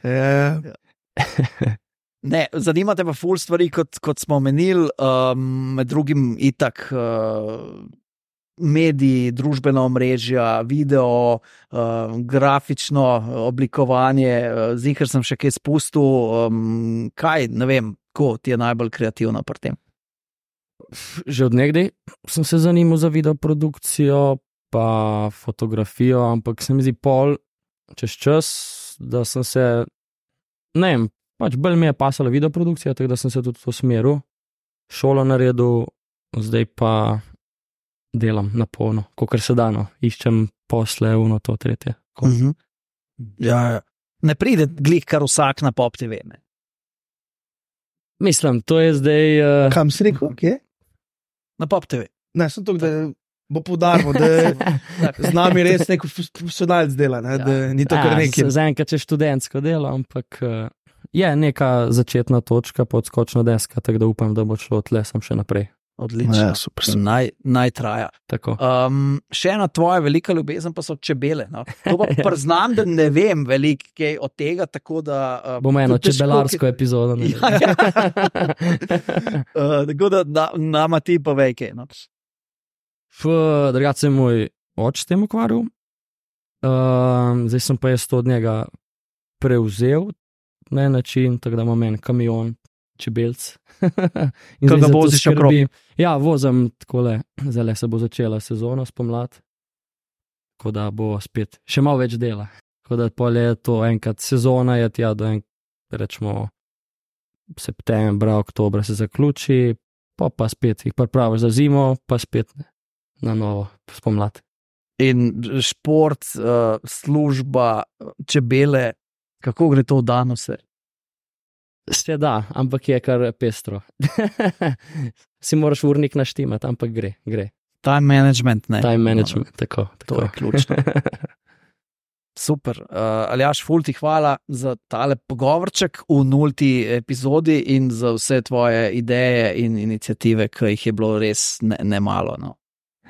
Ja, Ne, zanima te pa ful stvari, kot, kot smo omenili, um, med drugim itak uh, mediji, družbena omrežja, video, uh, grafično oblikovanje, uh, zihar sem še kaj spustil, um, kaj, ne vem, ko ti je najbolj kreativno pri tem. Že od nekdaj sem se zanimal za videoprodukcijo, pa fotografijo, ampak se mi zdi pol čez čas, da sem se, ne vem, pač bolj mi je pasala videoprodukcija, tako da sem se tudi v to smeru šolo naredil, zdaj pa delam na polno, kakor se dano, iščem posle, uno, to, tretje. Uh -huh. Ja, ja. Ne pride glih kar vsak na Pop T V. Ne? Mislim, to je zdaj. Uh, kam si rekel, kje? Na Pop T V. Ne, sem to, da bo poudaril, da je z nami res nek profesionalc dela, ne, da ni to kar nekaj. Zaenkrat je študentsko delo, ampak uh, je neka začetna točka, podskočna deska, tako da upam, da bo šlo tle sem še naprej. Odlično. Ja, super, super. Naj, naj traja. Tako. Um, še ena tvoja velika ljubezen pa so čebele. No? To pa priznam, da ne vem veliko kaj od tega, tako da... Uh, Bomo eno tudi težko, čebelarsko ki- epizodo. Ja, ja. uh, tako da na, nama ti pa vej kaj. No? Drugače se je moj oče s tem ukvarjal, um, zdaj sem pa jaz to od njega prevzel na en način, tako da imam en kamion, čebelc. In Ko zdaj ga za to voziš okrog. skrbim. Ja, vozim takole, zdaj se bo začela sezona spomlad, tako da bo spet še malo več dela. Tako da pol je to enkrat sezona, je tja do en, rečemo, septembra, oktobra se zaključi, pa pa spet jih pripraviš za zimo, pa spet na novo spomlad. In šport, uh, služba, čebele, kako gre to v dan vse? Se da, ampak je kar pestro. Si moraš urnik naštimati, ampak gre, gre. Time management, ne? Time management, tako. tako. To je ključno. Super. Uh, Aljaž, ful ti hvala za tale pogovorček v nulti epizodi in za vse tvoje ideje in inicijative, ki jih je bilo res ne, ne malo. No.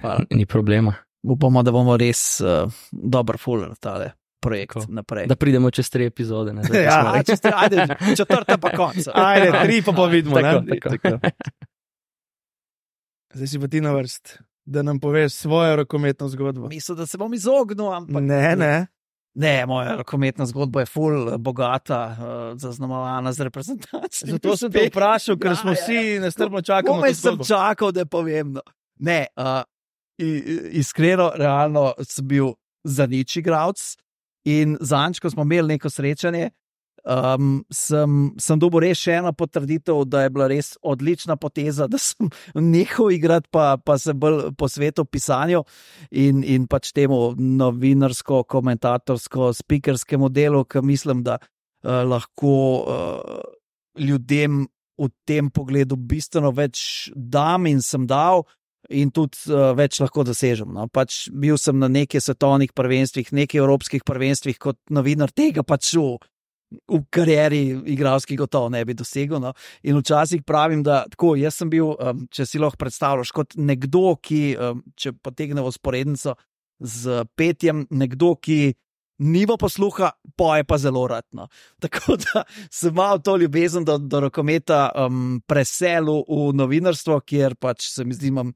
Hvala. Ni problema. Upamo, da bomo res uh, dober fuller tale projekt Tako. naprej. Da pridemo čez tri epizode. Ne, da Ja, smo A, rekli. če ste, ajde, četrta pa konca. Ajde, tri pa pa vidimo, Tako, ne. tako. Zdaj si pa ti na vrst, da nam poveš svojo rokometno zgodbo. Mislim, da se bom izognil, ampak Ne, ne. Ne, moja rokometna zgodba je ful bogata, uh, zaznamovana z reprezentacijo. Zato sem te vprašal, ker Ja, smo ja, vsi nestrpno čakali na Komaj to sem zgodbo. čakal, da povem. No. Ne, uh, iskreno, realno sem bil za nič igralec in zanj, ko smo imeli neko srečanje, um, sem, sem dobil res še eno potrditev, da je bila res odlična poteza, da sem nehal igrati, pa, pa se bolj posvetil pisanju in, in pač temu novinarsko, komentatorsko, speakerskemu delu, ki mislim, da uh, lahko uh, ljudem v tem pogledu bistveno več dam in sem dal. In tudi uh, več lahko dosežem. No. Pač bil sem na nekaj svetovnih prvenstvih, nekaj evropskih prvenstvih, kot novinar tega pač v, v karieri igralski gotovo ne bi dosegel. No. In včasih pravim, da tako, jaz sem bil, um, če si lahko predstavljaš, kot nekdo, ki, um, če potegnemo sporednico z petjem, nekdo, ki nima posluha, poje pa zelo rad. No. Tako da sem imel to ljubezen do, do rokometa um, preselil v novinarstvo, kjer pač se mi zdi, imam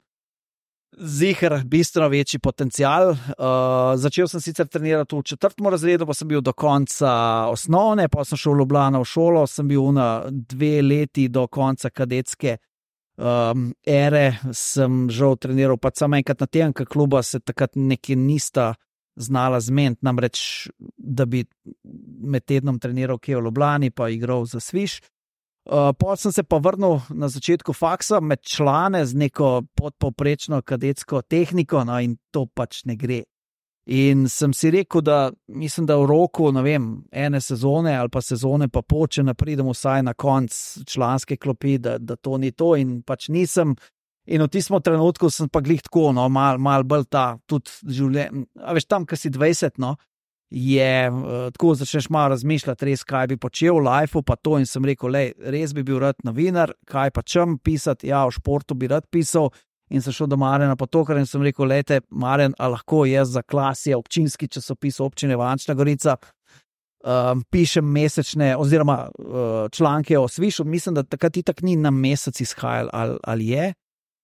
ziher bistveno večji potencial. Uh, začel sem sicer trenirati v četrtem razredu, pa sem bil do konca osnovne, pa sem šel v Ljubljano v šolo, sem bil na dve leti do konca kadetske um, ere, sem žal treniral pa samo enkrat na teden, ker kluba se takrat nekaj nista znala zmeniti, namreč, da bi med tednom treniral kje v Ljubljani, pa igral za Sviš. Uh, Potem sem se pa vrnil na začetku faksa med člane z neko podpovprečno kadetsko tehniko, no, in to pač ne gre. In sem si rekel, da mislim, da v roku, ne vem, ene sezone ali pa sezone pa pol, če ne pridem vsaj na konc članske klopi, da, da to ni to, in pač nisem. In v tistem trenutku sem pa glih tako, no, mal, mal bolj ta, tudi življenje, a veš, tam, ko si dvajset, no, je, uh, tako začneš malo razmišljati, res, kaj bi počel v lifeu, pa to, in sem rekel, lej, res bi bil rad novinar, kaj pa čem pisati, ja, v športu bi rad pisal, in sem šel do Marjana Potokar in sem rekel, lejte, Marjan, a lahko jaz za Klasje, občinski časopis občine Ivančna Gorica, um, pišem mesečne, oziroma uh, članke o Svišu, mislim, da takrat itak ni na mesec izhajal, ali, ali je,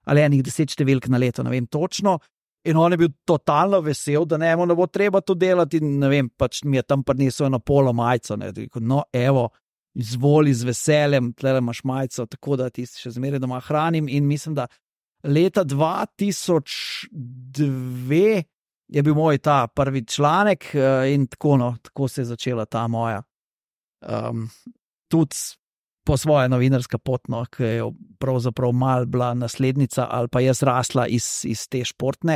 ali enih deset številk na leto, ne vem točno. In on je bil totalno vesel, da ne, ne bo treba to delati. In ne vem, pač mi je tam prinesel eno polo majico. No, evo, izvoli z veseljem, tle imaš majico, tako da ti še zmeraj doma hranim. In mislim, da leta dva tisoč dve je bil moj ta prvi članek, in tako, no, tako se je začela ta moja. Um, tudi po svoje novinarska pot, no, ki je pravzaprav mal bila naslednica ali pa jaz rasla iz, iz te športne.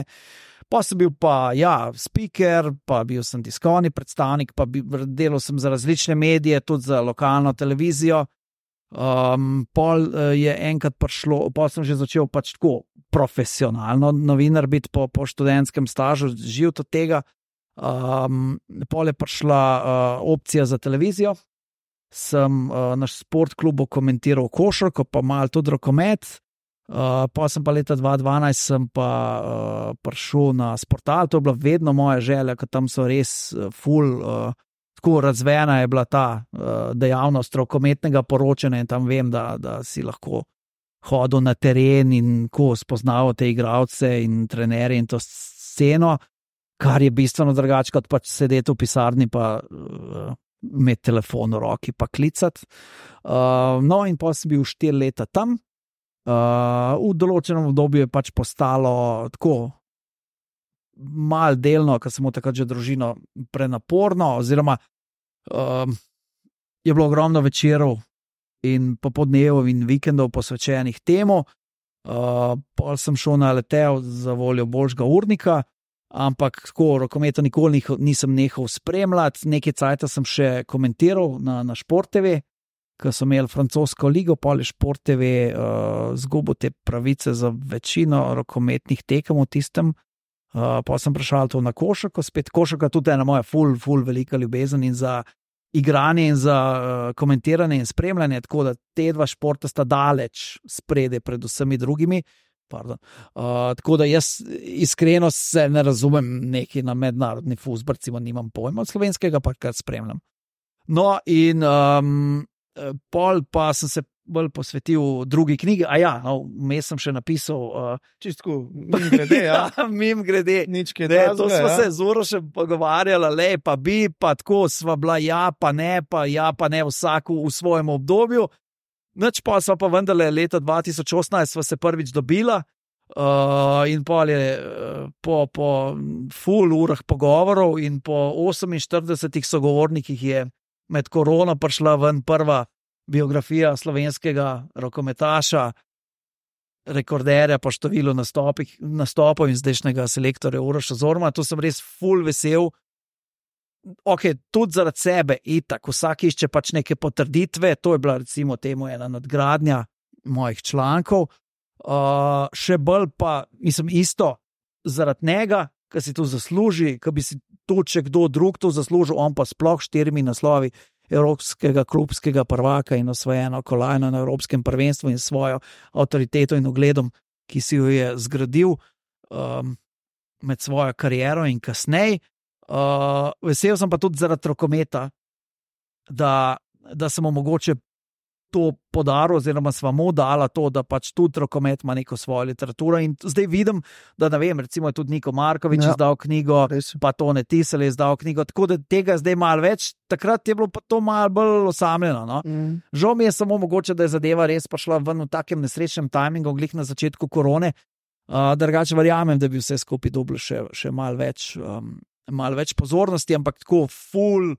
Pa sem bil pa, ja, speaker, pa bil sem tiskovni predstavnik, pa bi, delal sem za različne medije, tudi za lokalno televizijo. Um, pol je enkrat prišlo, pol sem že začel pač tako profesionalno novinar biti po, po študentskem stažu, živ od tega. Um, pol je prišla uh, opcija za televizijo. Sem uh, naš sport klubu komentiral košarko, pa malo tudi rokomet. Uh, pa sem pa leta dva tisoč dvanajst sem pa uh, prišel na Sportal, to je bila vedno moja želja, ker tam so res uh, ful, uh, tako razvejena je bila ta uh, dejavnost rokometnega poročanja, in tam vem, da, da si lahko hodil na teren in ko spoznaval te igralce in trenerje in to sceno, kar je bistveno drugače kot pač sedeti v pisarni pa uh, imeti telefon v roki pa klicati. Uh, no, in pa sem bil štiri leta tam. Uh, v določenem obdobju je pač postalo tako mal delno, ker sem v takrat že družino prenaporno, oziroma uh, je bilo ogromno večerov in popodnevov in vikendov posvečenih temu. Uh, pol sem šel na letel za voljo boljšega urnika, ampak tako rokometa nikoli nisem nehal spremljati. Nekaj cajta sem še komentiral na, na Šport T V, ker so imeli francosko ligo, pa je Šport T V uh, zgubil te pravice za večino rokometnih tekem v tistem. Uh, pa sem prišel to na košarko, spet košarka tudi ena moja ful, ful velika ljubezen in za igranje in za uh, komentiranje in spremljanje, tako da te dva športa sta daleč sprede pred vsemi drugimi. Uh, tako da jaz iskreno se ne razumem neki na mednarodni fuzbol, recimo nimam pojma od slovenskega, pa kar spremljam. No in um, pol pa sem se bolj posvetil drugi knjigi. A ja, no, vmes sem še napisal. Uh, Čistko, mim grede, ja. mim grede. Nič kaj Ne, drazga, to smo ja. se z Urošem pogovarjali, le pa bi, pa tako sva bila ja, pa ne, pa ja, pa ne vsak v svojem obdobju. Nič pa sva pa vendarle leta dva tisoč osemnajst sva se prvič dobila. Uh, in pol je uh, po, po full urah pogovorov in po oseminštiridesetih sogovornikih je med korono prišla ven prva biografija slovenskega rokometaša, rekorderja po številu nastopov in zdajšnjega selektorja Uroša Zormana. To sem res full vesel. Ok, tudi zaradi sebe, itak, vsak išče pač neke potrditve, to je bila recimo temu ena nadgradnja mojih člankov. Uh, še bolj pa, mislim, isto zaradi njega, ki si to zasluži, ki bi si to, če kdo drug to zaslužil, on pa sploh štirimi naslovi evropskega klubskega prvaka in osvojeno kolajno na evropskem prvenstvu in svojo avtoriteto in ugledom, ki si jo je zgradil um, med svojo kariero in kasneje. Uh, vesel sem pa tudi zaradi rokometa, da, da sem mu mogoče to podaril, oziroma sva mu dala to, da pač tudi rokomet ima neko svojo literaturo in zdaj vidim, da ne vem, recimo je tudi Niko Markovič Ja. izdal knjigo, Res. pa Tone Tisel je izdal knjigo, tako da tega zdaj malo več, takrat je bilo pa to malo bolj osamljeno, no. Mm. Žal mi je samo mogoče, da je zadeva res prišla ven v takem nesrečnem tajmingu, glih na začetku korone, uh, drugače verjamem, da bi vse skupaj dobilo še, še malo več, um, malo več pozornosti, ampak tako ful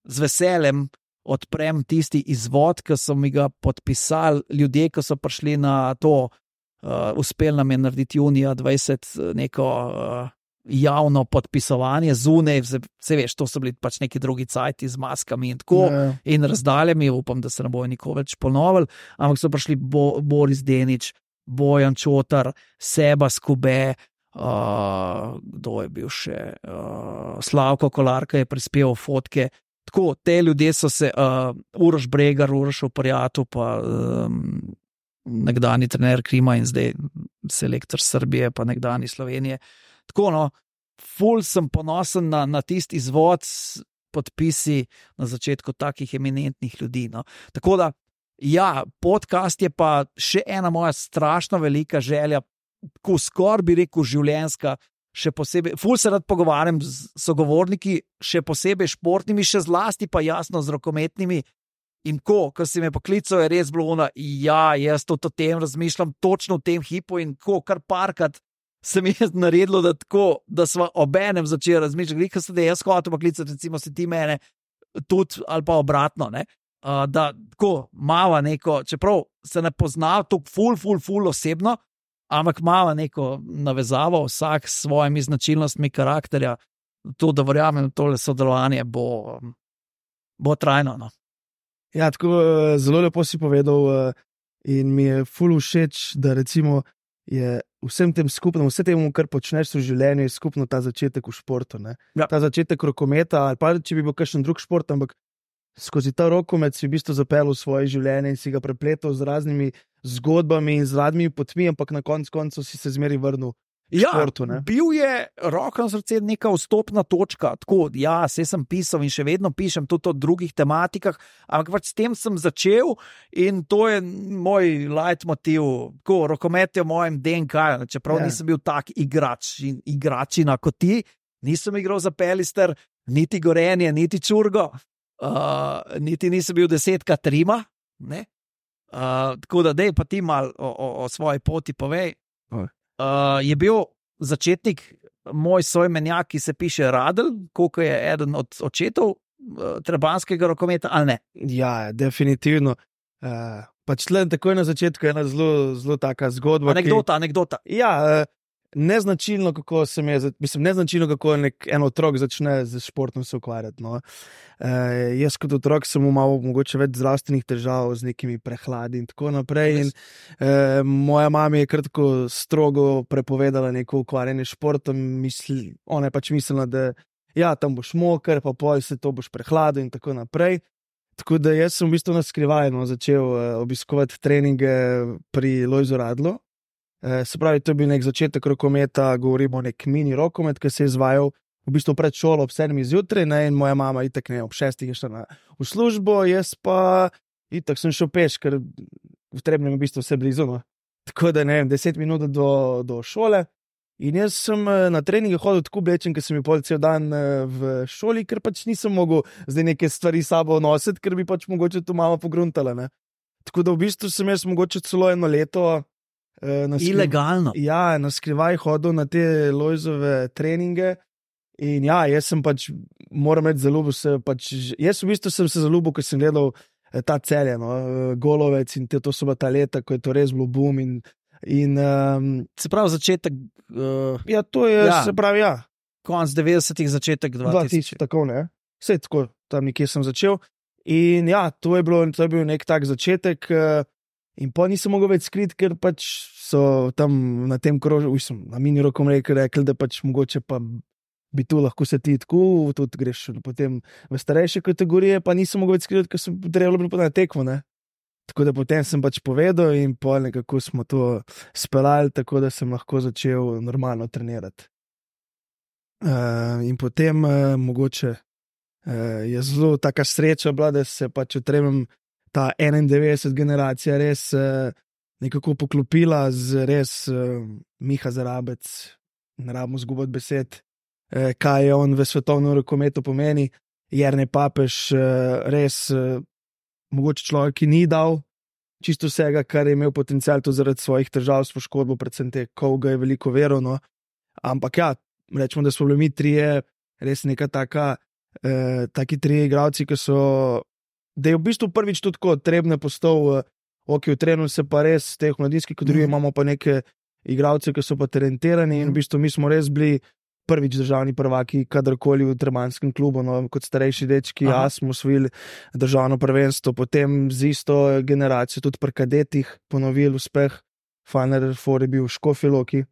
z veseljem odprem tisti izvod, ki so mi ga podpisali ljudje, ki so prišli na to, uh, uspel nam je narediti junija dvajset neko uh, javno podpisovanje zunaj, se veš, to so bili pač neki drugi cajti z maskami in tako, Ja. in razdaljami, upam, da se ne bojo nikoli več ponovili, ampak so prišli Bo, Boris Denič, Bojan Čotar, Seba Skube, uh, kdo je bil še, uh, Slavko Kolarka je prispeval fotke. Tako, te ljudje so se, uh, Uroš Bregar, Uroš Oprijatu, pa um, nekdani trener Krima in zdaj selektor Srbije, pa nekdani Slovenije. Tako, no, ful sem ponosen na, na tisti izvod s podpisi na začetku takih eminentnih ljudi. No. Tako da, ja, podcast je pa še ena moja strašno velika želja, ko skoraj bi rekel življenjska, še posebej, ful se rad pogovarjam z sogovorniki, še posebej športnimi, še zlasti pa jasno z rokometnimi. In ko, ko si me poklical, je res bilo ono, ja, jaz to o tem razmišljam točno v tem hipu in ko, kar parkrat se mi je naredilo, da tako, da sva obenem začeli razmišljati, ko se da jaz hotel poklicati, recimo si ti mene, tudi ali pa obratno, ne, uh, da tako mava neko, čeprav se ne pozna tako ful, ful, ful osebno, ampak mava neko navezavo, vsak s svojimi značilnostmi karakterja, to, da verjamem, tole sodelovanje bo, bo trajno. No. Ja, tako eh, zelo lepo si povedal eh, in mi je ful všeč, da recimo je vsem tem skupno, vse temu, kar počneš v življenju, je skupno ta začetek v športu. Ne? Ja. Ta začetek rokometa, ali pa če bi bil kakšen drug šport, ampak skozi ta rokomet si v bistvu zapeljal svoje življenje in si ga prepletal z raznimi zgodbami in z raznimi potmi, ampak na koncu koncev si se zmeri vrnil Ja, športu, ne? bil je Roko na srce neka vstopna točka, tako, ja, se sem pisal in še vedno pišem tudi o drugih tematikah, ampak pač s tem sem začel in to je moj leitmotiv, tako, rokomet je v mojem D N K, čeprav Ja. nisem bil tak igrač in igračina kot ti, nisem igral za Pelister, niti Gorenje, niti Čurgo, uh, niti nisem bil desetka Trima, ne? Uh, tako da dej pa ti mal o, o, o svoji poti povej. Uh, je bil začetnik moj soimenjak, ki se piše Radl, koliko je eden od očetov uh, trebanskega rokometa, ali ne? Ja, definitivno. Uh, pač tle takoj na začetku je ena zelo, zelo taka zgodba. Anekdota, anekdota. Ki, ja, uh, neznačilno, kako se mi je, mislim, neznačilno, kako nek en otrok začne z športom se ukvarjati. No. Uh, jaz kot otrok sem imel mogoče več zdravstvenih težav z nekimi prehladi in tako naprej. In, uh, moja mama je kar tako strogo prepovedala neko ukvarjanje s športom. Misli, ona je pač mislila, da ja, tam boš moker, pa pol se to boš prehladil in tako naprej. Tako da jaz sem v bistvu na skrivaj no, začel uh, obiskovati treninge pri Lojzu Radlu. Uh, se pravi, to je bil nek začetek rokometa, govorimo o nek mini rokomet, ki se je izvajal v bistvu pred šolo ob sedmih zjutraj, ne, in moja mama itak ne, ob šestih je šla na, v službo, jaz pa, itak sem šel peš, ker v Trebnjem je v bistvu vse blizu. No. Tako da ne vem, deset minut do, do šole. In jaz sem na treninge hodil tako oblečen, ker sem bil pol cel dan v šoli, ker pač nisem mogel zdaj neke stvari s sabo nositi, ker bi pač mogoče to malo pogruntala. Ne. Tako da v bistvu sem jaz mogoče celo eno leto eh, na skrivaj. Ilegalno. Ja, na skrivaj hodil na te Lojzove treninge. In ja, jaz sem pač, moram reči, zaljubil se. Pač, jaz v bistvu sem se zaljubil, ker sem gledal eh, ta Celje, no, Golovec in te, to so bila ta leta, ko je to res bilo boom. In, in, um, Se pravi, začetek. Uh, ja, to je, Ja. se pravi, ja. Konc devetdesetih, začetek dva tisoč, dvatisoč. tako ne. Vse tako, tam nekje sem začel. In ja, to je, bilo, to je bil nek tak začetek. eh, In pa nisem mogel več skriti, ker pač so tam na tem krožju, ujsem, na mini rokom rekli, rekli, da pač mogoče pa bi tu lahko se ti tako, tudi greš potem v starejše kategorije, pa nisem mogel več skriti, ker sem potrebno bilo na tekmo, ne. Tako da potem sem pač povedal in pa nekako smo to speljali, tako da sem lahko začel normalno trenirati. Uh, in potem uh, mogoče uh, je zelo taka sreča bila, da se pač otremem ta enaindevetdeset generacija res uh, nekako poklopila z res uh, Miha Zarabec, ne rabimo zgubati besed, uh, kaj je on v svetovnem rokometu pomeni, Jernej Papež, uh, res uh, mogoče človek, ki ni dal čisto vsega, kar je imel potencial, to zaradi svojih težav s poškodbo, predvsem te, ko ga je veliko veril, no. Ampak ja, rečemo, da smo bili mi trije, res neka taka, eh, taki trije igralci, ki so, da je v bistvu prvič tudi tako Trebnje postal, eh, ok, v Trebnju se pa res, teh mladinskih kadruje, imamo pa neke igralce, ki so pa talentirani in v bistvu mi smo res bili prvič državni prvaki, kadarkoli v Trebanjskem klubu, no, kot starejši dečki, Aha. ja, smo osvojili državno prvenstvo, potem z isto generacijo, tudi pri kadetih, ponovili uspeh. Final Four je bil v Škofji Loki.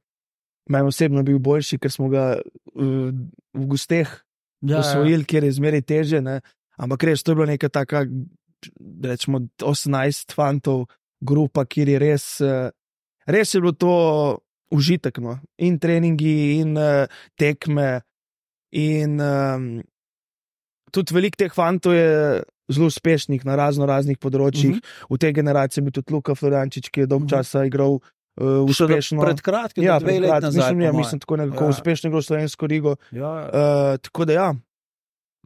Meni osebno je bil boljši, ker smo ga uh, v gosteh Ja, osvojili, kjer je zmeraj teže, ne. Ampak res, to je bila neka taka, rečemo, osemnajst fantov grupa, kjer je res, uh, res je bilo to užitek, no. In treningi, in uh, tekme, in um, tudi veliko teh fantov je zelo uspešnih na razno raznih področjih. Uh-huh. V tej generaciji je bil tudi Luka Florjančič, ki je dolgo Mhm. časa igral uh, Še do- uspešno. Pred kratkim, ja, ja, dve pred leti kratkim, nazaj. mislim, po ja, moje. mislim, tako nekako Ja. ja. uspešno igral slovensko ligo. Ja. Uh, tako da ja,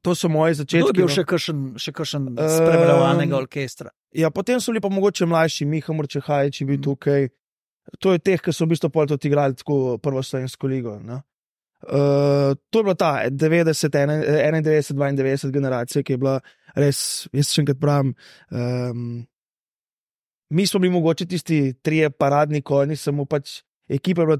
to so moje Kdo začetki. je bil no. še kakšen, še kakšen Um, spremljevalnega orkestra? Ja, potem so bili pa mogoče mlajši, Miha Murčehajič je bil Mhm. tukaj. To je teh, ki so v bistvu pol tudi igrali tako prvo slovensko ligo. Ne? Uh, to je bila ta devetdeset, enaindevetdeset, dvaindevetdeset generacija, ki je bila res, jaz še enkrat pravim, um, mi smo bili mogoče tisti trije paradni konji, samo pač ekipa je bila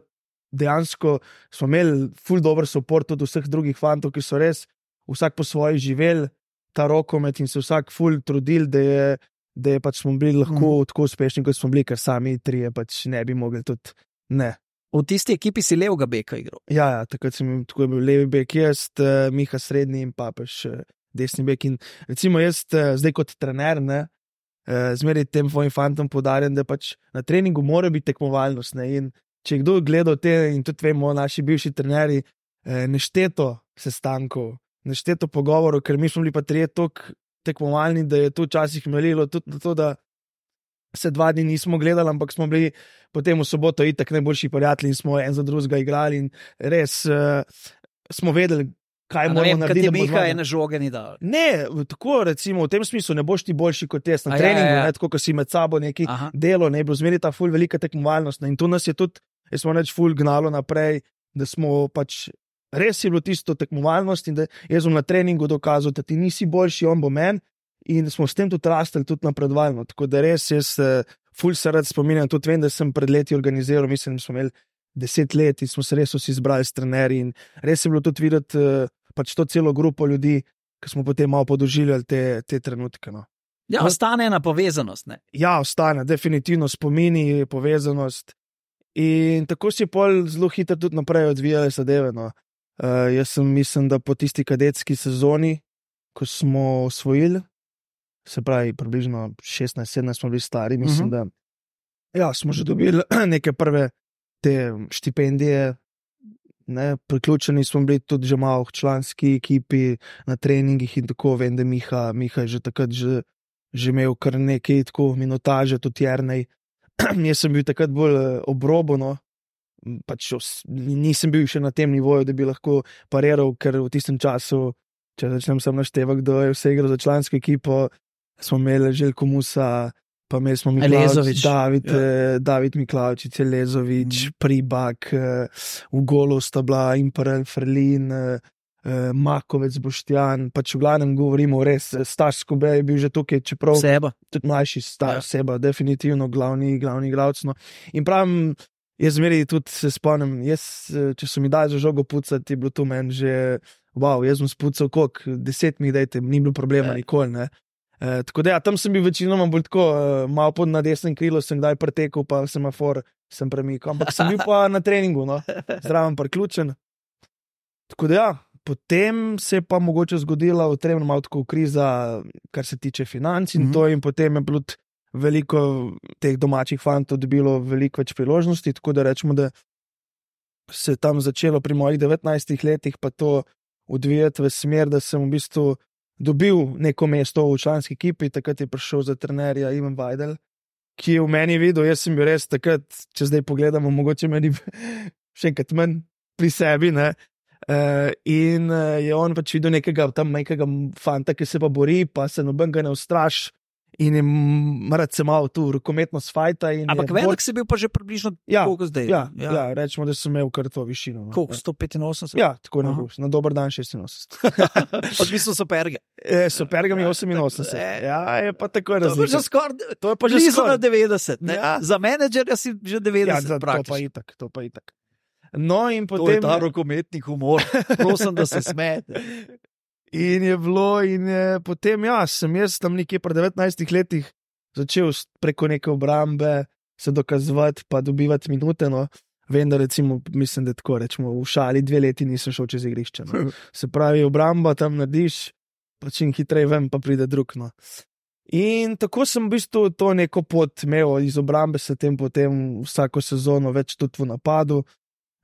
dejansko, smo imeli ful dober support od vseh drugih fantov, ki so res vsak po svoji živeli ta rokomet in se vsak ful trudil, da je, da je pač smo bili lahko Mhm. mm. tako uspešni, kot smo bili, ker sami trije pač ne bi mogli tudi, ne. V tisti ekipi si levega beka igral. Ja, ja, takrat sem tako je bil levi bek, jaz, uh, Miha srednji in Papež uh, desni bek. In recimo jaz uh, zdaj kot trener, ne, uh, zmeraj tem svojim fantom podarjam, da pač na treningu mora biti tekmovalnost. Ne, in če je kdo gledal te, in tudi vemo, naši bivši trenerji, uh, nešteto sestankov, nešteto pogovorov, ker mi smo bili pa trije toliko tekmovalni, da je to včasih melilo tudi na to, da se dva dni nismo gledali, ampak smo bili potem v soboto itak najboljši prijatelji in smo en za drugega igrali in res uh, smo vedeli, kaj A ne moramo vem, narediti. kad je da bomo Miha zmagali. ene žoge ni dal. Ne, tako recimo v tem smislu ne boš ti boljši kot jaz na A ja, treningu, ja, ja. ne, tako ko si med sabo neki Aha. delo, ne, bilo zmeri ta ful velika tekmovalnost, ne, in to nas je tudi, jaz smo reč ful gnalo naprej, da smo pač, res je bilo tisto tekmovalnost in da jaz sem na treningu dokazal, da ti nisi boljši, on bo men in smo s tem tudi rastli, tudi napredovali, tako da res jaz eh, ful se rad spominjam, tudi vem, da sem pred leti organiziral, mislim, da smo imeli deset let in smo se res vsi zbrali s trenerji in res je bilo tudi videti eh, pač to celo grupo ljudi, ki smo potem malo podoživljali te, te trenutke. No. Ja, No. ostane ena povezanost. Ne? Ja, ostane, definitivno spomini, povezanost. In tako si pol zelo hitro tudi naprej odvijale zadeve. No. Uh, jaz sem mislim, da po tisti kadetski sezoni, ko smo osvojili, se pravi, približno šestnajst sedemnajst smo bili stari, mislim, Mhm. uh -huh. da ja, smo že dobili neke prve te štipendije. Ne, priključeni smo bili tudi že malo k članski ekipi na treningih in tako vem, da Miha, Miha je že takrat že že imel kar nekaj tako minutaže, tudi Jernej. Jaz sem bil takrat bolj obrobono, pač os- nisem bil še na tem nivoju, da bi lahko pariral, ker v tistem času, če začnem sam naštevati, kdo je vse igral za člansko ekipo, smo imeli Željko Musa, pa imeli smo Elezovič. Miklavič, David, Ja. ja. David Miklavič, Elezovič, Mhm. mm. Pribak, eh, v golu sta bila Imperel, Ferlin, eh, eh, Makovec, Boštjan, pač v glavnem govorimo res, eh, Staš Skube je bil že tukaj, čeprav Seba. tudi mlajši star Ja. ja. Seba, definitivno glavni, glavni igralec. No. In pravim, jaz zmeri tudi se spomnim, jaz, eh, če so mi dali za žogo pucati, je bilo to meni že, wow, jaz sem spucal koliko, deset mi dajte, ni bilo problema Ja. nikoli, ne. E, tako da ja, tam sem bil večinoma bolj tako, uh, malo pod na desnem krilu sem kdaj pretekel, pa semafor sem premikal, ampak sem bil pa na treningu, no, zraven priključen. Tako da ja, potem se je pa mogoče zgodila v Trebnjem malo tako kriza, kar se tiče financ in Mhm. mm -hmm. to, in potem je bilo tudi veliko teh domačih fantov dobilo veliko več priložnosti, tako da rečemo, da se je tam začelo pri mojih devetnajstih letih pa to odvijati v smer, da sem v bistvu dobil neko mesto v članski ekipi, takrat je prišel za trenerja Ivan Vajdel, ki je v meni videl, jaz sem bil res takrat, če zdaj pogledamo, mogoče meni še enkrat manj pri sebi, ne. Uh, in uh, je on pač videl nekega tam majhnega fanta, ki se pa bori, pa se noben ga ne ustraši in je m- rad se malo tu rokometno sfajta. in Ampak je velik bolj- si bil pa že približno Ja, koliko zdaj? Ja, ja. ja, rečemo, da sem imel kar to višino. No. Koliko, sto petinosemdeset? Ja, tako Aha. ne bo. Na dober dan šestinosemdeset. Odvisno so perge. E, Superga mi je oseminosemdeset. E, Ja, je pa tako To je pa že različno. skoraj, To je pa že blizu na skoraj. devetdeset. Ne? Ja. Za menedžerja si že Ja, devetdeset. za, to pa praktično. itak, to pa itak. No in To je potem... ta rokometni humor. Prosim, da se smete. In je bilo, in je, potem, ja, sem jaz tam nekje pri devetnajstih letih začel s- preko neke obrambe se dokazovati, pa dobivati minute. No. Vem, da recimo, mislim, da tako rečemo, v šali dve leti nisem šel čez igrišče. No. Se pravi, obramba tam narediš, pa čim hitreje vem, pa pride drug. No. In tako sem v bistvu to neko pot imel, iz obrambe se tem potem vsako sezono več tudi v napadu.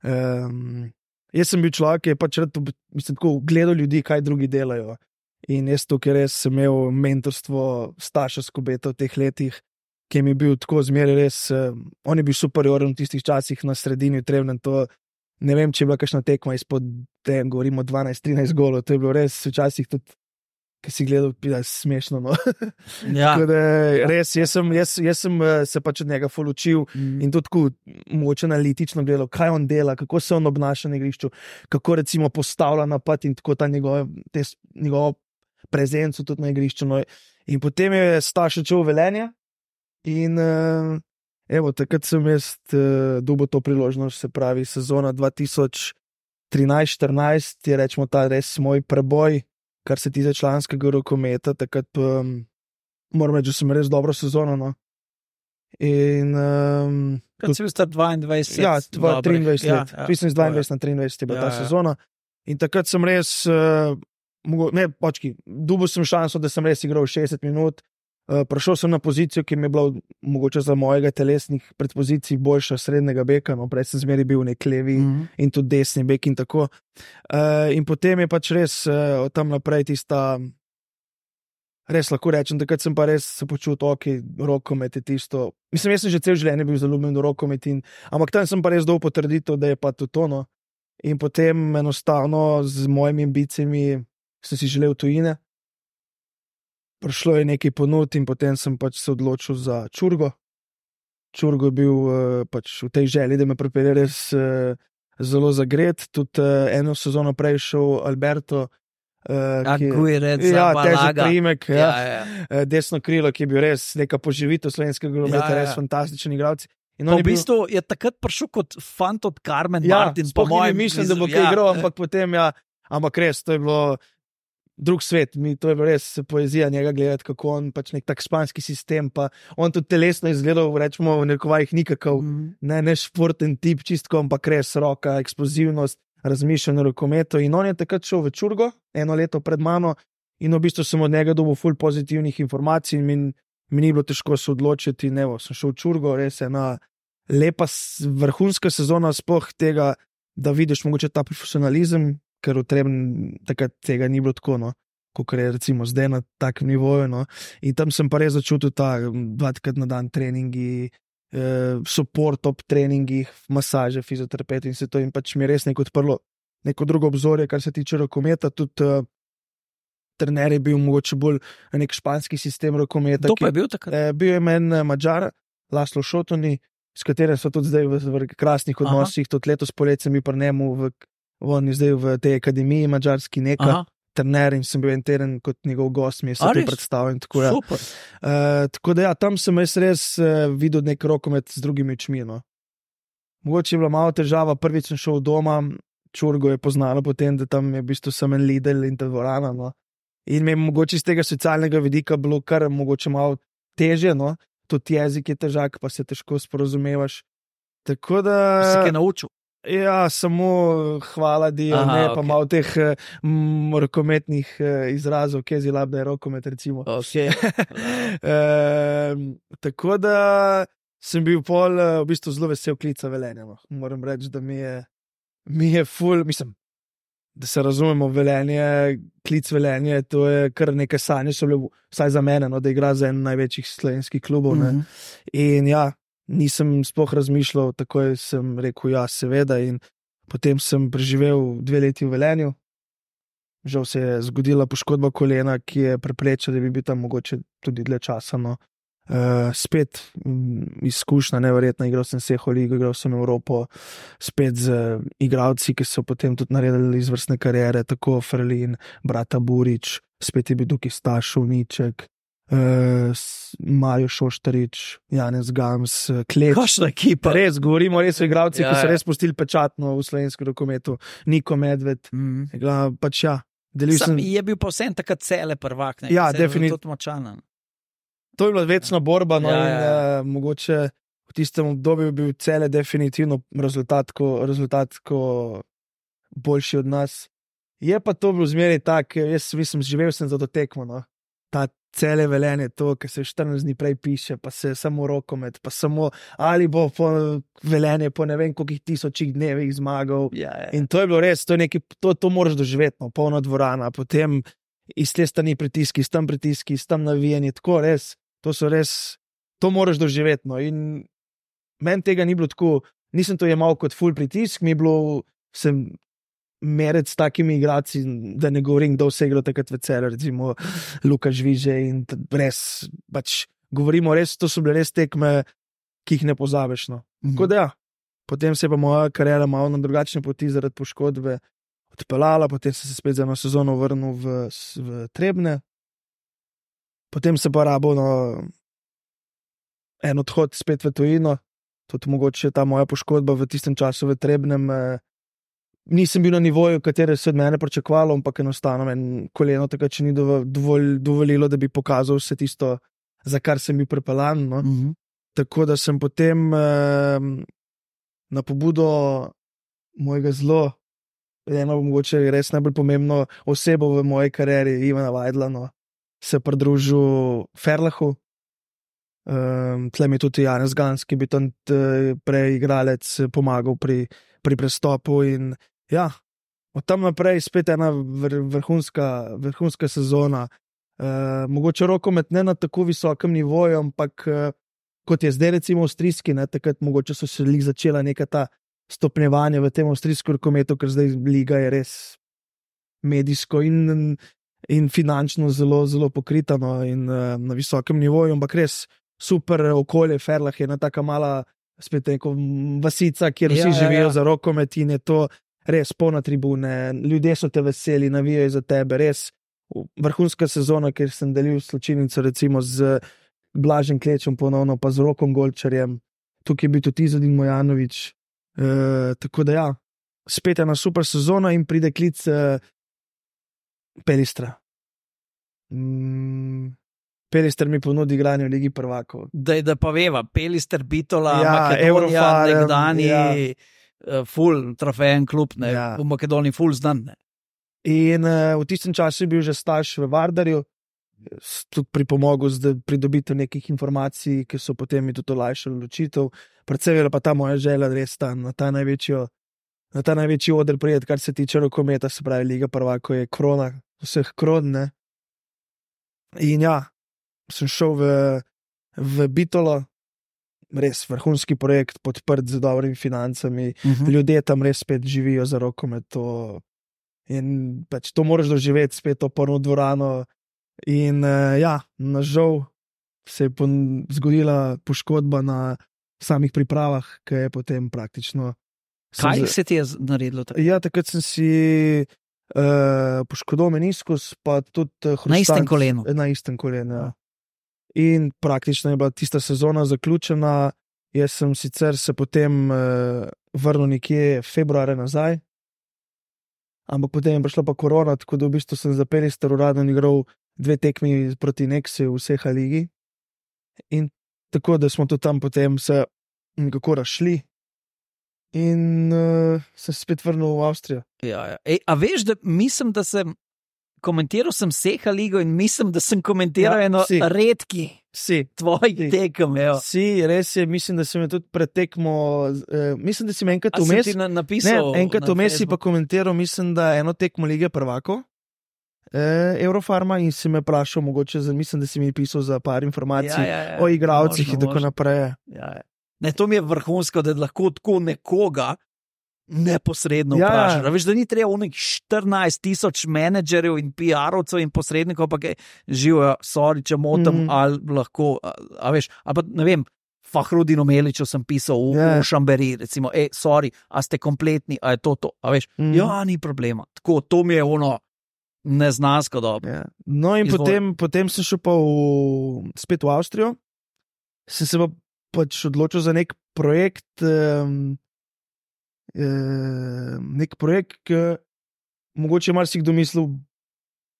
Um, jaz sem bil človek, ki je pač rad, ob- mislim, tako gledal ljudi, kaj drugi delajo. In jaz tukaj res sem imel mentorstvo Staša Skobeta v teh letih, ki mi je bil tako zmeraj res, um, on je bil superioren v tistih časih na sredini, v Trebnjem. To, ne vem, če je bila kakšna tekma izpod, ne vem, govorimo dvanajst trinajst golov, to je bilo res včasih tudi, ki si gledal, pida, smešno. No. Ja. Tako da res, jaz sem, jaz, jaz sem eh, se pač od njega ful učil. In to tako mogoče analitično gledal, kaj on dela, kako se on obnaša na igrišču, kako recimo postavlja napad in tako ta njegov, te, s- njegovo prezenco tudi na igrišču. No. In potem je Staš odšel v Velenje in uh, evo, takrat sem jaz uh, dobil to priložnost, se pravi sezona dva tisoč trinajst štirinajst je rečemo ta res moj preboj, kar se tiče članskega rokometa, takrat um, moram reči, da sem res dobro sezono. No. In um, Kad si bil star dvaindvajset. ja, dva- dobrih. triindvajset Ja, let, ja. mislim, z dvaindvajset na triindvajset je bila Ja, ta ja. sezona. In takrat sem res, uh, mogo, ne, počki, dobil sem šanso, da sem res igral šestdeset minut. Uh, prišel sem na pozicijo, ki mi je bila mogoče za mojega telesnih predpozicij boljša srednjega beka, no, prej sem zmeri bil nek levi Mhm. in tudi desni bek in tako. Uh, in potem je pač res uh, od tam naprej tista, res lahko rečem, takrat sem pa res se počutil, ok, rokomet je tisto. Mislim, jaz sem že cel življenje bil zaljubljen v rokomet, in, ampak tam sem pa res dol potrditev, da je pa to tono. In potem enostavno z mojimi ambicijami sem si želel tujine. Prišlo je nekaj ponud in potem sem pač se odločil za Čurgo. Čurgo je bil uh, pač v tej želji, da me pripelje res uh, zelo zagret. Tudi uh, eno sezono prej šel Alberto, uh, ki Aguirre, ja, težek Zabalaga. priimek, ja, Ja, ja. ja. Uh, desno krilo, ki je bil res neka poživitev slovenskega nogometa, Ja, ja. res fantastičen igralec. In Pa on v je bil- bistvu je takrat prišel kot fant od Carmen Ja, Martin. Po sploh ni mojem, mišljen, da bo mislim, kaj ja. igral, ampak potem, ja, ampak res, to je bilo drug svet, mi, to je bilo res poezija njega gledati, kako on pač nek tak španski sistem, pa on tudi telesno izgledal, rečemo v nekovajih nikakav, Mhm. ne, ne športen tip, čistko, ampak res roka, eksplozivnost, razmišljanje o rokometu. In on je takrat šel v Čurgo, eno leto pred mano, in v bistvu sem od njega dobil ful pozitivnih informacij in mi, mi ni bilo težko se odločiti. In evo, sem šel v Čurgo, res ena lepa s- vrhunska sezona, sploh tega, da vidiš mogoče ta profesionalizem, ker v Trebnjem takrat tega ni bilo tako. No. kot je recimo zdaj na takem nivoju. No. In tam sem pa res začutil ta dvakrat na dan treningi, eh, support ob treningih, masaže, fizioterapeuti in se to in pač mi je res neko odprlo neko drugo obzorje, kar se tiče rokometa. Tudi uh, trener je bil mogoče bolj nek španski sistem rokometa. Kdo pa je bil takrat? Eh, bil je meni Mađar, Laslo Šotoni, s katerim so tudi zdaj v, v krasnih odnosih, tudi letos poletje sem bil pri njemu v, on je zdaj v tej akademiji mađarski neka. Aha. Trener in sem bil en teden kot njegov gost, mi je se to predstavil. Tako, ja. Super. Uh, tako da ja, tam sem jaz res uh, videl nek rokomet z drugimi očmi. No. Mogoče je bila malo težava, prvič sem šel doma, Čurgo je poznalo potem, da tam je v bistvu samo en Lidl in ta dvorana. No. In mi je mogoče iz tega socialnega vidika bilo kar mogoče malo težje, no. Tudi jezik je težak, pa se težko sporozumevaš. Tako da... Si kaj naučil? Ja, samo hvala, Dio, Aha, ne, pa okay. malo teh m, rokometnih uh, izrazov, kje je zilab, da je rokomet, recimo. Okay. e, tako da sem bil pol uh, v bistvu zelo vesel klica Velenja. No. Moram reči, da mi je, mi je ful, mislim, da se razumemo, Velenje, klic Velenje, to je kar nekaj sanje, so bile vsaj za mene, no, da igra za en največjih slovenskih klubov. Mm -hmm. In ja, nisem sploh razmišljal, takoj sem rekel, ja, seveda, in potem sem preživel dve leti v Velenju. Žal se je zgodila poškodba kolena, ki je preprečila, da bi bil tam mogoče tudi dlje časa. No. Uh, spet um, izkušnja, neverjetna, igral sem Seho ligo, igral sem Evropo, spet z uh, igralci, ki so potem tudi naredili izvrstne kariere, tako Ferlin, brata Burič, spet je bil tukaj Staš Uniček, Uh, Mario Šoštarič, Janez Gams, Klep. Kakšna ekipa? Res, govorimo res o igralcih, ja, ki so res pustili pečatno v slovenskem rokometu. Niko Medved, mm. Igla, pač ja. Sem, je bil pa vsem takrat cele prvak. Ne? Ja, definitivno. To je bila večna borba, no, ja, in ja. Uh, mogoče v tistem obdobju bil cele definitivno rezultatko, rezultatko boljši od nas. Je pa to bilo zmeraj tak, jaz mislim, živel sem za to tekmo, no. Ta cele Velenje, to, kar se štirinajst dni prej piše, pa se samo rokomet, pa samo ali bo po Velenje po ne vem koliko tisočih dnevih zmagal. Ja, ja. In to je bilo res, to, je nekaj, to, to moraš doživeti, no, polna dvorana, potem iz te strani pritiski, iz tam pritiski, iz tam navijanje, tako res, to so res, to moraš doživeti. No. In meni tega ni bilo tako, nisem to jemal kot full pritisk, mi je bilo, sem merec s takimi igrači, da ne govorim, kdo vse igra takrat v Celju, recimo Luka Žviže in res, pač govorimo res, to so bile res tekme, ki jih ne pozabiš. No. Mm-hmm. Tako da ja, potem se je pa moja kariera malo na drugačne poti zaradi poškodbe odpeljala, potem sem se spet za eno sezono vrnil v, v Trebne, potem se pa rabo no, en odhod spet v tujino, tudi mogoče ta moja poškodba v tistem času v Trebnem, eh, nisem bil na nivoju, katere se od mene pričakovalo, ampak enostavno en koleno takrat še ni dovolj, dovolilo, da bi pokazal vse tisto, za kar sem bil prepeljan. No. Mm-hmm. Tako da sem potem eh, na pobudo mojega zelo, eno mogoče res najbolj pomembno osebo v moji karieri, Ivana Vajdla, no, se pridružil Ferlahu. Um, tle mi je tudi Janez Gans, ki bi tam prej igralec pomagal pri, pri prestopu in ja, od tam naprej spet ena vr, vrhunska, vrhunska sezona. Uh, mogoče rokomet ne na tako visokem nivoju, ampak uh, kot je zdaj recimo avstrijski, ne, takrat mogoče so se lih začela neka ta stopnjevanja v tem avstrijskem rokometu, ker zdaj liga je res medijsko in, in finančno zelo, zelo pokrita, no, in uh, na visokem nivoju, ampak res super okolje, Ferlah je ena taka mala spet neko vasica, kjer vsi ja, živijo ja, ja. za rokomet in je to res polna tribune, ljudje so te veseli, navijajo za tebe, res vrhunska sezona, kjer sem delil slačilnico recimo z Blažem Klečem ponovno, pa z Rokom Golčarjem, tukaj je bil tudi Izodin Mojanović, e, tako da ja, spet ena super sezona in pride klic e, Pelistra. Mm. Pelister mi ponudi igranje v Ligi prvakov. Da, da pa veva, Pelister, Bitola, ja, Makedonija, nekdani ja. full trofejen klub, ne, ja. v Makedoniji full znan. Ne. In uh, v tistem času je bil že Staš v Vardarju, tudi pripomogel z pridobitev nekih informacij, ki so potem mi tudi olajšali odločitev. Predvsem je pa ta moja želja res tam, na ta največjo, na ta največji oder prijeti, kar se tiče rokometa, se pravi Liga prvakov je krona vseh kron, ne. In ja, sem šel v, v Bitolo, res vrhunski projekt, podprt z dobrimi financami, Uh -huh. ljudje tam res spet živijo za rokomet. To, in pač to moraš doživeti, spet to polno dvorano. In uh, ja, nažal se je pon, zgodila poškodba na samih pripravah, ki je potem praktično. Kaj sem, se ti je z- naredilo tako? Ja, takrat sem si uh, poškodoval meniskus, pa tudi uh, Na istem hrustanc- kolenu? Na istem kolenu, ja. In praktično je bila tista sezona zaključena. Jaz sem sicer se potem uh, vrnil nekje februarja nazaj, ampak potem je prišla pa korona, tako da v bistvu sem za Perister uradno igral dve tekmi proti Nexi v vseh ligi. In tako da smo tudi tam potem se nekako razšli. In uh, sem se spet vrnil v Avstrijo. Ja, ja. Ej, a veš, da mislim, da sem komentiral sem Seha ligo in mislim, da sem komentiral Ja, ja, eno si. redki Si, tvojih Si. tekem. evo. si, res je, mislim, da sem je tudi pretekmo. Uh, mislim, da si me enkrat A sem vmes. ti na, napisal? Ne, enkrat na vmes si pa Facebooku? komentiral, mislim, da eno tekmo lige prvako. Eh, Eurofarma in si me vprašal, mogoče, za, mislim, da si mi pisal za par informacij Ja, ja, ja. o igravcih Možno, in tako možno. naprej. Ja, ja. Ne, to mi je vrhunsko, da lahko tako nekoga neposredno Ja, ja. vprašaš. A veš, da ni treba v nekih štirinajst tisoč menedžerjev in P R-ovcev in posrednikov, pa kaj živijo, sorry, če motim, Mhm. mm. ali lahko, a, a veš, ali pa ne vem. Fahrudinu Meliču sem pisal v, Ja. v Šamberi, recimo, ej, sorry, a ste kompletni, a je to to, a veš, Mhm. mm. ja, ni problema. Tako, to mi je ono neznansko dobro. Ja. No, in Izvoli. potem, potem sem šel pa v, spet v Avstrijo, sem se pa pač odločil za nek projekt, um, um, nek projekt, ki mogoče marsikdo mislil,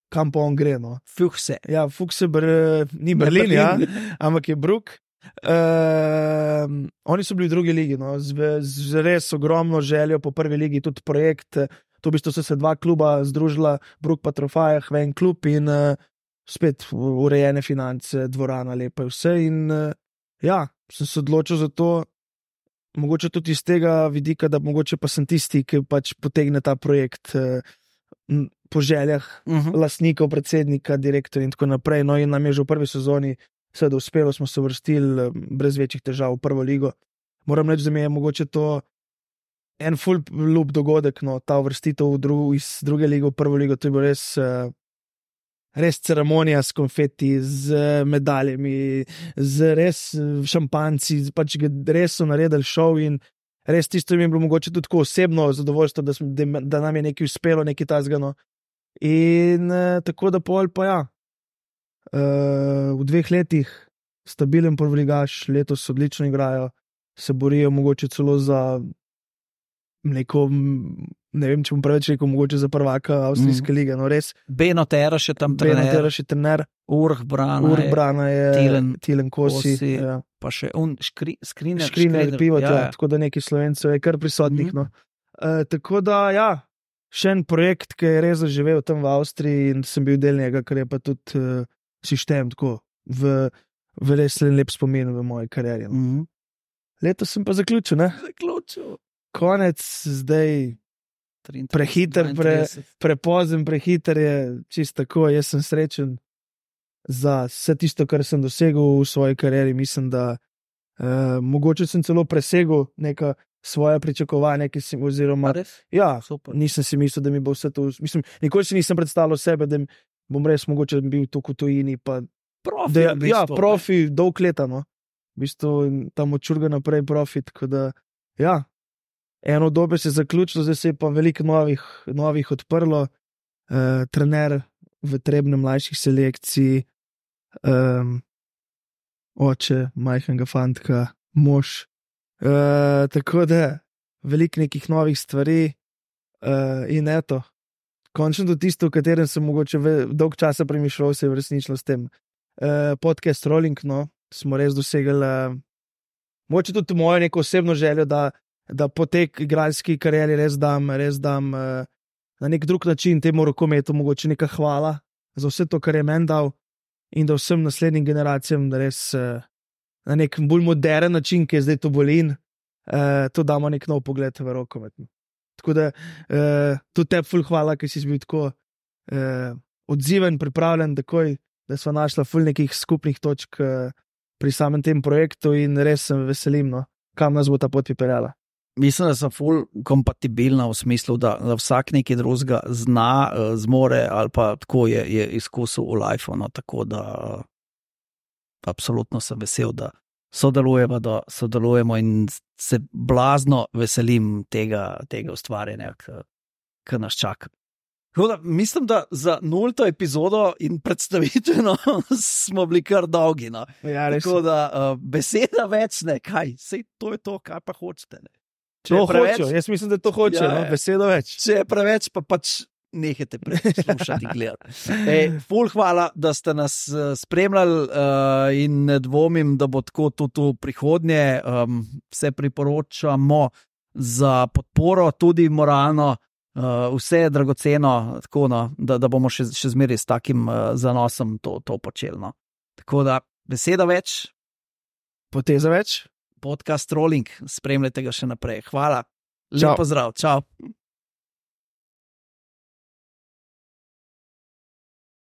kam pa on gre. No. Fuh se. Ja, Fukse, br, ni Berlin, ja, ampak je Bruk. Um, oni so bili v drugi ligi, no, z, z res ogromno željo po prvi ligi, tudi projekt. To v bistvu so se dva kluba združila, Bruk pa Trofajah, v en klub in uh, spet urejene finance, dvorana, lepa je vse. In uh, ja, sem se odločil za to, mogoče tudi iz tega vidika, da mogoče pa sem tisti, ki pač potegne ta projekt uh, m, po željah Uh -huh. lastnikov, predsednika, direktorja in tako naprej. No, in nam je že v prvi sezoni seveda uspelo, smo se vrstili eh, brez večjih težav v prvo ligo. Moram reči, da mi je mogoče to en full loop dogodek, no, ta uvrstitev v dru, iz druge lige v prvo ligo, to je bilo res, eh, res ceremonija s konfeti, z eh, medaljami, z res eh, šampanci, pač ga- res so naredili šov in res tisto mi je bilo mogoče tudi tako osebno zadovoljstvo, da, smo, da, da nam je nekaj uspelo, nekaj tazgano. In eh, tako da pol pa ja. Uh, v dveh letih stabilen prvoligaš, letos odlično igrajo, se borijo mogoče celo za neko, m, ne vem, če bom preveč rekel, mogoče za prvaka avstrijske mm. lige. No, res, Beno Tera še tam Beno trener, Tera še trener, Urh Brana, Urh je, Brana je, Tilen Tilen Kosi, Kosi, ja. pa še un škri, skriner, Škriner, pivo, ja, ja, ja. tako da nekaj Slovencev je kar prisotnih. Mhm. No. Uh, tako da, ja, še en projekt, ki je res zaživel tam v Avstriji in sem bil del njega, kar je pa tudi uh, sistem, tako v, v res en lep spomin v moji karieri. No. Mhm. Letos sem pa zaključil, ne? Zaključil. Konec, zdaj triintrideset, prehiter, pre, dvaintrideset. prepozen, prehiter je čisto tako. Jaz sem srečen za vse tisto, kar sem dosegel v svoji karieri. Mislim, da uh, mogoče sem celo presegel neka svoja pričakovanja, ki sem, A oziroma, res? ja, Super. nisem si mislil, da mi bo vse to, mislim, nikoli si nisem predstavljal sebe, da bom res mogoče bil tu v tujini, pa Profi, da, v bistvu, ja, ne. profi, dolg leta, no. V bistvu tam odčurga naprej profit, tako da, ja, eno dobe se je zaključilo, zdaj se je pa veliko novih, novih odprlo, uh, trener v Trebnem mlajših selekcij, um, oče, majhnega fantka, mož, uh, tako da veliko nekih novih stvari uh, in eto, končno to tisto, o katerem sem mogoče ve- dolg časa premišljal, se je uresničilo s tem. Uh, podcast Rolling, no, smo res dosegli, uh, mogoče tudi mojo neko osebno željo, da, da po tej igralski karieri res dam, res dam uh, na nek drug način temu rokometu, mogoče neka hvala za vse to, kar je meni dal, in da vsem naslednjim generacijam da res uh, na nek bolj moderen način, ki je zdaj to bolin, uh, to damo nek nov pogled v rokomet. Tako da uh, tudi tebi ful hvala, ker si bil tako uh, odziven, pripravljen takoj da smo našli ful nekih skupnih točk uh, pri samem tem projektu in res se veselim, no, kam nas bo ta pot pripeljala. Mislim, da sem ful kompatibilna v smislu, da, da vsak nekaj drugega zna, zmore ali pa tako je, je izkusil v lifeu. No, tako da uh, absolutno sem vesel, da sodelujemo, da sodelujemo in se blazno veselim tega, tega ustvarjanja, ki nas čaka. Da, mislim, da za nulto epizodo in predstavitveno smo bili kar dolgi. No. Ja, tako da uh, beseda več ne, kaj, sej to je to, kaj pa hočete. Ne. To preveč, hočo, jaz mislim, da to hoče, ja, no, besedo več. Če je preveč, pa pač nehajte poslušati, gledati. Ej, ful hvala, da ste nas spremljali uh, in ne dvomim, da bo tako tudi v prihodnje. Um, vse priporočamo za podporo, tudi moralno, uh, vse je dragoceno, tako, no, da, da bomo še, še zmeraj s takim uh, zanosom to, to počeli. No. Tako da beseda več. Poteza več. Podcast Rolling, spremljajte ga še naprej. Hvala. Lep pozdrav. Čau.